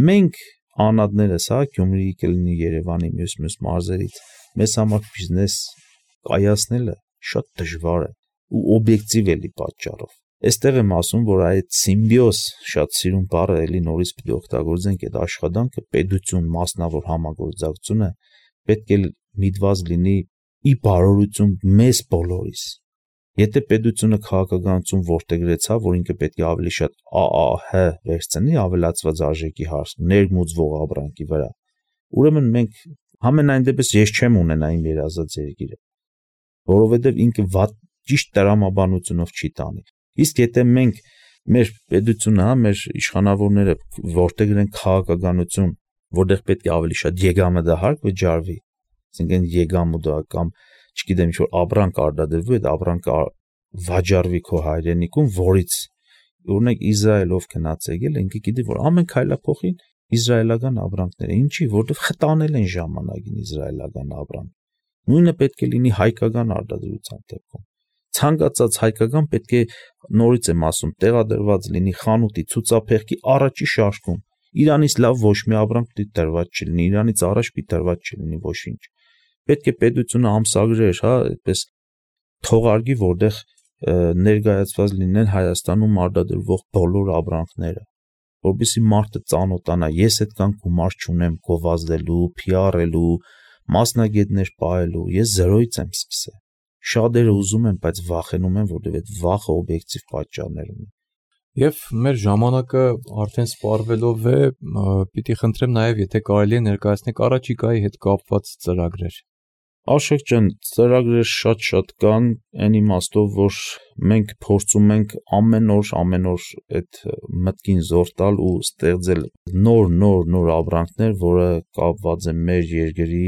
Մենք անհատներս, հա, Գյումրիի կլինի Երևանի մյուս-մյուս մարզերից, մեզ համար բիզնես կայացնելը շատ դժվար է ու օբյեկտիվ էլի պատճառով։ Այստեղ եմ ասում, որ այդ սիմբիոզ, շատ սիրուն բառը էլի նորից պետք է օգտագործենք այդ աշխատանքը, պետություն, մասնավոր համագործակցությունը պետք է միտված լինի ի բարօրություն մեզ բոլորիս։ Եթե պետությունը քաղաքականություն ворտեգրեցա, որ ինքը պետք է ավելի շատ ԱԱՀ վերցնի, ավելացված արժեքի հարց, ներմուծվող ապրանքի վրա, ուրեմն մենք համենայն դեպս ես չեմ ունենա իմ երազած երկիրը, որովհետև ինքը վատ ճիշտ տրամաբանությունով չի տանի։ Իսկ եթե մենք մեր պետությունը, հա, մեր իշխանավորները ворտեգրեն քաղաքականություն, որտեղ պետք է ավելի շատ եկամտահարկ վճարվի, այսինքն եկամուտը կամ չգիտեմ ինչ որ ապրանք արտադրվի, այդ ապրանքը վաճառվի քո հայրենիքում, որից օրինակ Իսրայելով գնաց եկել, ինքը գիտի որ ամեն քայլափոխին իսրայելական ապրանքներ, ինչի, որտեղ խտանել են ժամանակին իսրայելական ապրանք։ Նույնը պետք է լինի հայկական արտադրության դեպքում։ Ցանկացած հայկական պետք է նորից եմ ասում, տեղադրված լինի խանութի ցուցափեղկի առաջի շարքում։ Իրանից լավ ոչ մի ապրանք պիտի տրված չլինի, Իրանից առաջ պիտի տրված չլինի ոչինչ։ Պետք է պետությունը ամսագրեր, հա, այդպես թողարկի, որտեղ ներկայացված լինեն Հայաստանում արտադրվող բոլոր ապրանքները, որովհետեւ մարդը ծանոթանա, ես այդքան գումար չունեմ գովազդելու, փի ար-ելու, մասնագետներ պահելու, ես զրոյից եմ սկսել։ Շատերը ուզում են, բայց վախենում են, որովհետև այդ վախը օբյեկտիվ պատճառներ ունի։ Եվ մեր ժամանակը արդեն սպառվելով է, պիտի խնդրեմ նաև, եթե կարելի է ներկայացնեք առաջիկայի հետ կապված ծրագրեր։ Աշոկ ջան, ծրագրեր շատ-շատ կան, այն իմաստով, որ մենք փորձում ենք ամեն օր, ամեն օր այդ մտքին զոր տալ ու ստեղծել նոր, նոր, նոր ապրանքներ, որը կապված է մեր երկրի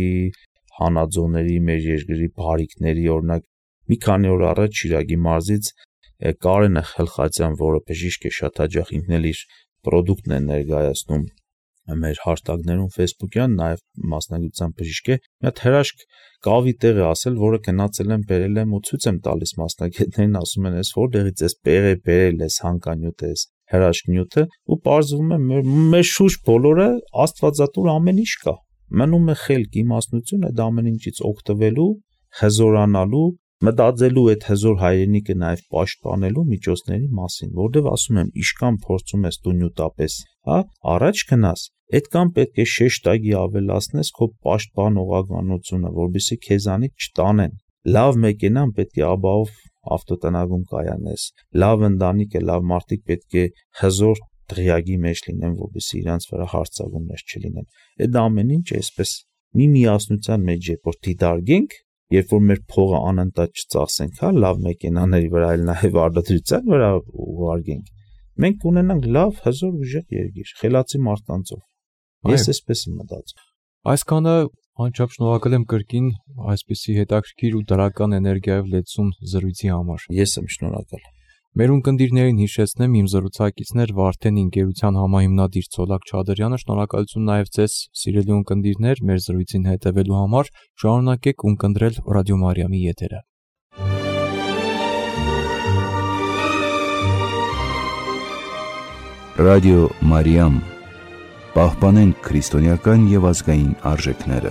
հանածոների, մեր երկրի բարիկների, օրինակ մի քանի օր առաջ Շիրակի մարզից Կարենը Խելխացյան, որը բժիշկ է, շատ հաճախ ինքն էլ իր պրոդուկտն է ներկայացնում մեր հաշտագներում Facebook-յան, նաև մասնագիտությամբ բժիշկ է, մի հատ հրաշք կավի տեղ է ասել, որը գնացել եմ, բերել եմ ու ցույց եմ տալիս մասնագետներին, ասում են, «Էս որտեղից էս պեղ է բերել, էս հանկանյութը, էս հրաշք նյութը» ու պարզվում է մեր, մեր շուրջ բոլորը աստվածատուր ամեն ինչ կա։ Մնում է խելք, իմաստնություն այդ ամեն ինչից օգտվելու, հզորանալու, մտածելու այդ հզոր հայրենիքը նաև պաշտպանելու միջոցների մասին, որտեղ ասում եմ, իշքան փորձում ես դու նյութապես, հա, առաջ գնաս, այդքան պետք է շեշտակի ավելացնես քո պաշտպանողականությունը, որովհետեւ քեզանից չտանեն։ Լավ մեքենան պետք է աբաով ավտոտնագում կայանես, լավ ընտանիքը, լավ մարդիկ պետք է հզոր դղյակի մեջ լինեն, որովհետեւ իրանց վրա հարձակումներ չլինեն։ Այդ ամեն ինչ այսպես մի միասնության մեջ է, որ դիտարկենք, երբ որ մեր փողը անընդհատ չծախսենք, հա, լավ մեքենաների վրա, այլ նաև արտադրության վրա ուղարկենք, մենք կունենանք լավ, հզոր ուժեղ երկիր, խելացի մարդկանցով։ Ես այսպես եմ մտածում։ Այսքանը անչափ շնորհակալ եմ կրկին այսպիսի հետաքրքիր ու դրական էներգիայով լեցուն զրույցի համար։ Ես եմ շնորհակալ։ Մեր ունկնդիրներին հիշեցնեմ, իմ զրուցակիցներ Վարդեն ընկերության համահիմնադիր Ցոլակ Չադրյանը, շնորհակալություն նաև ձեզ, սիրելի ունկնդիրներ, մեր զրույցին հետևելու համար, շարունակեք ունկնդրել Ռադիո Մարիամի եթերը։ Ռադիո Մարիամ, պահպանենք քրիստոնեական եւ ազգային արժեքները։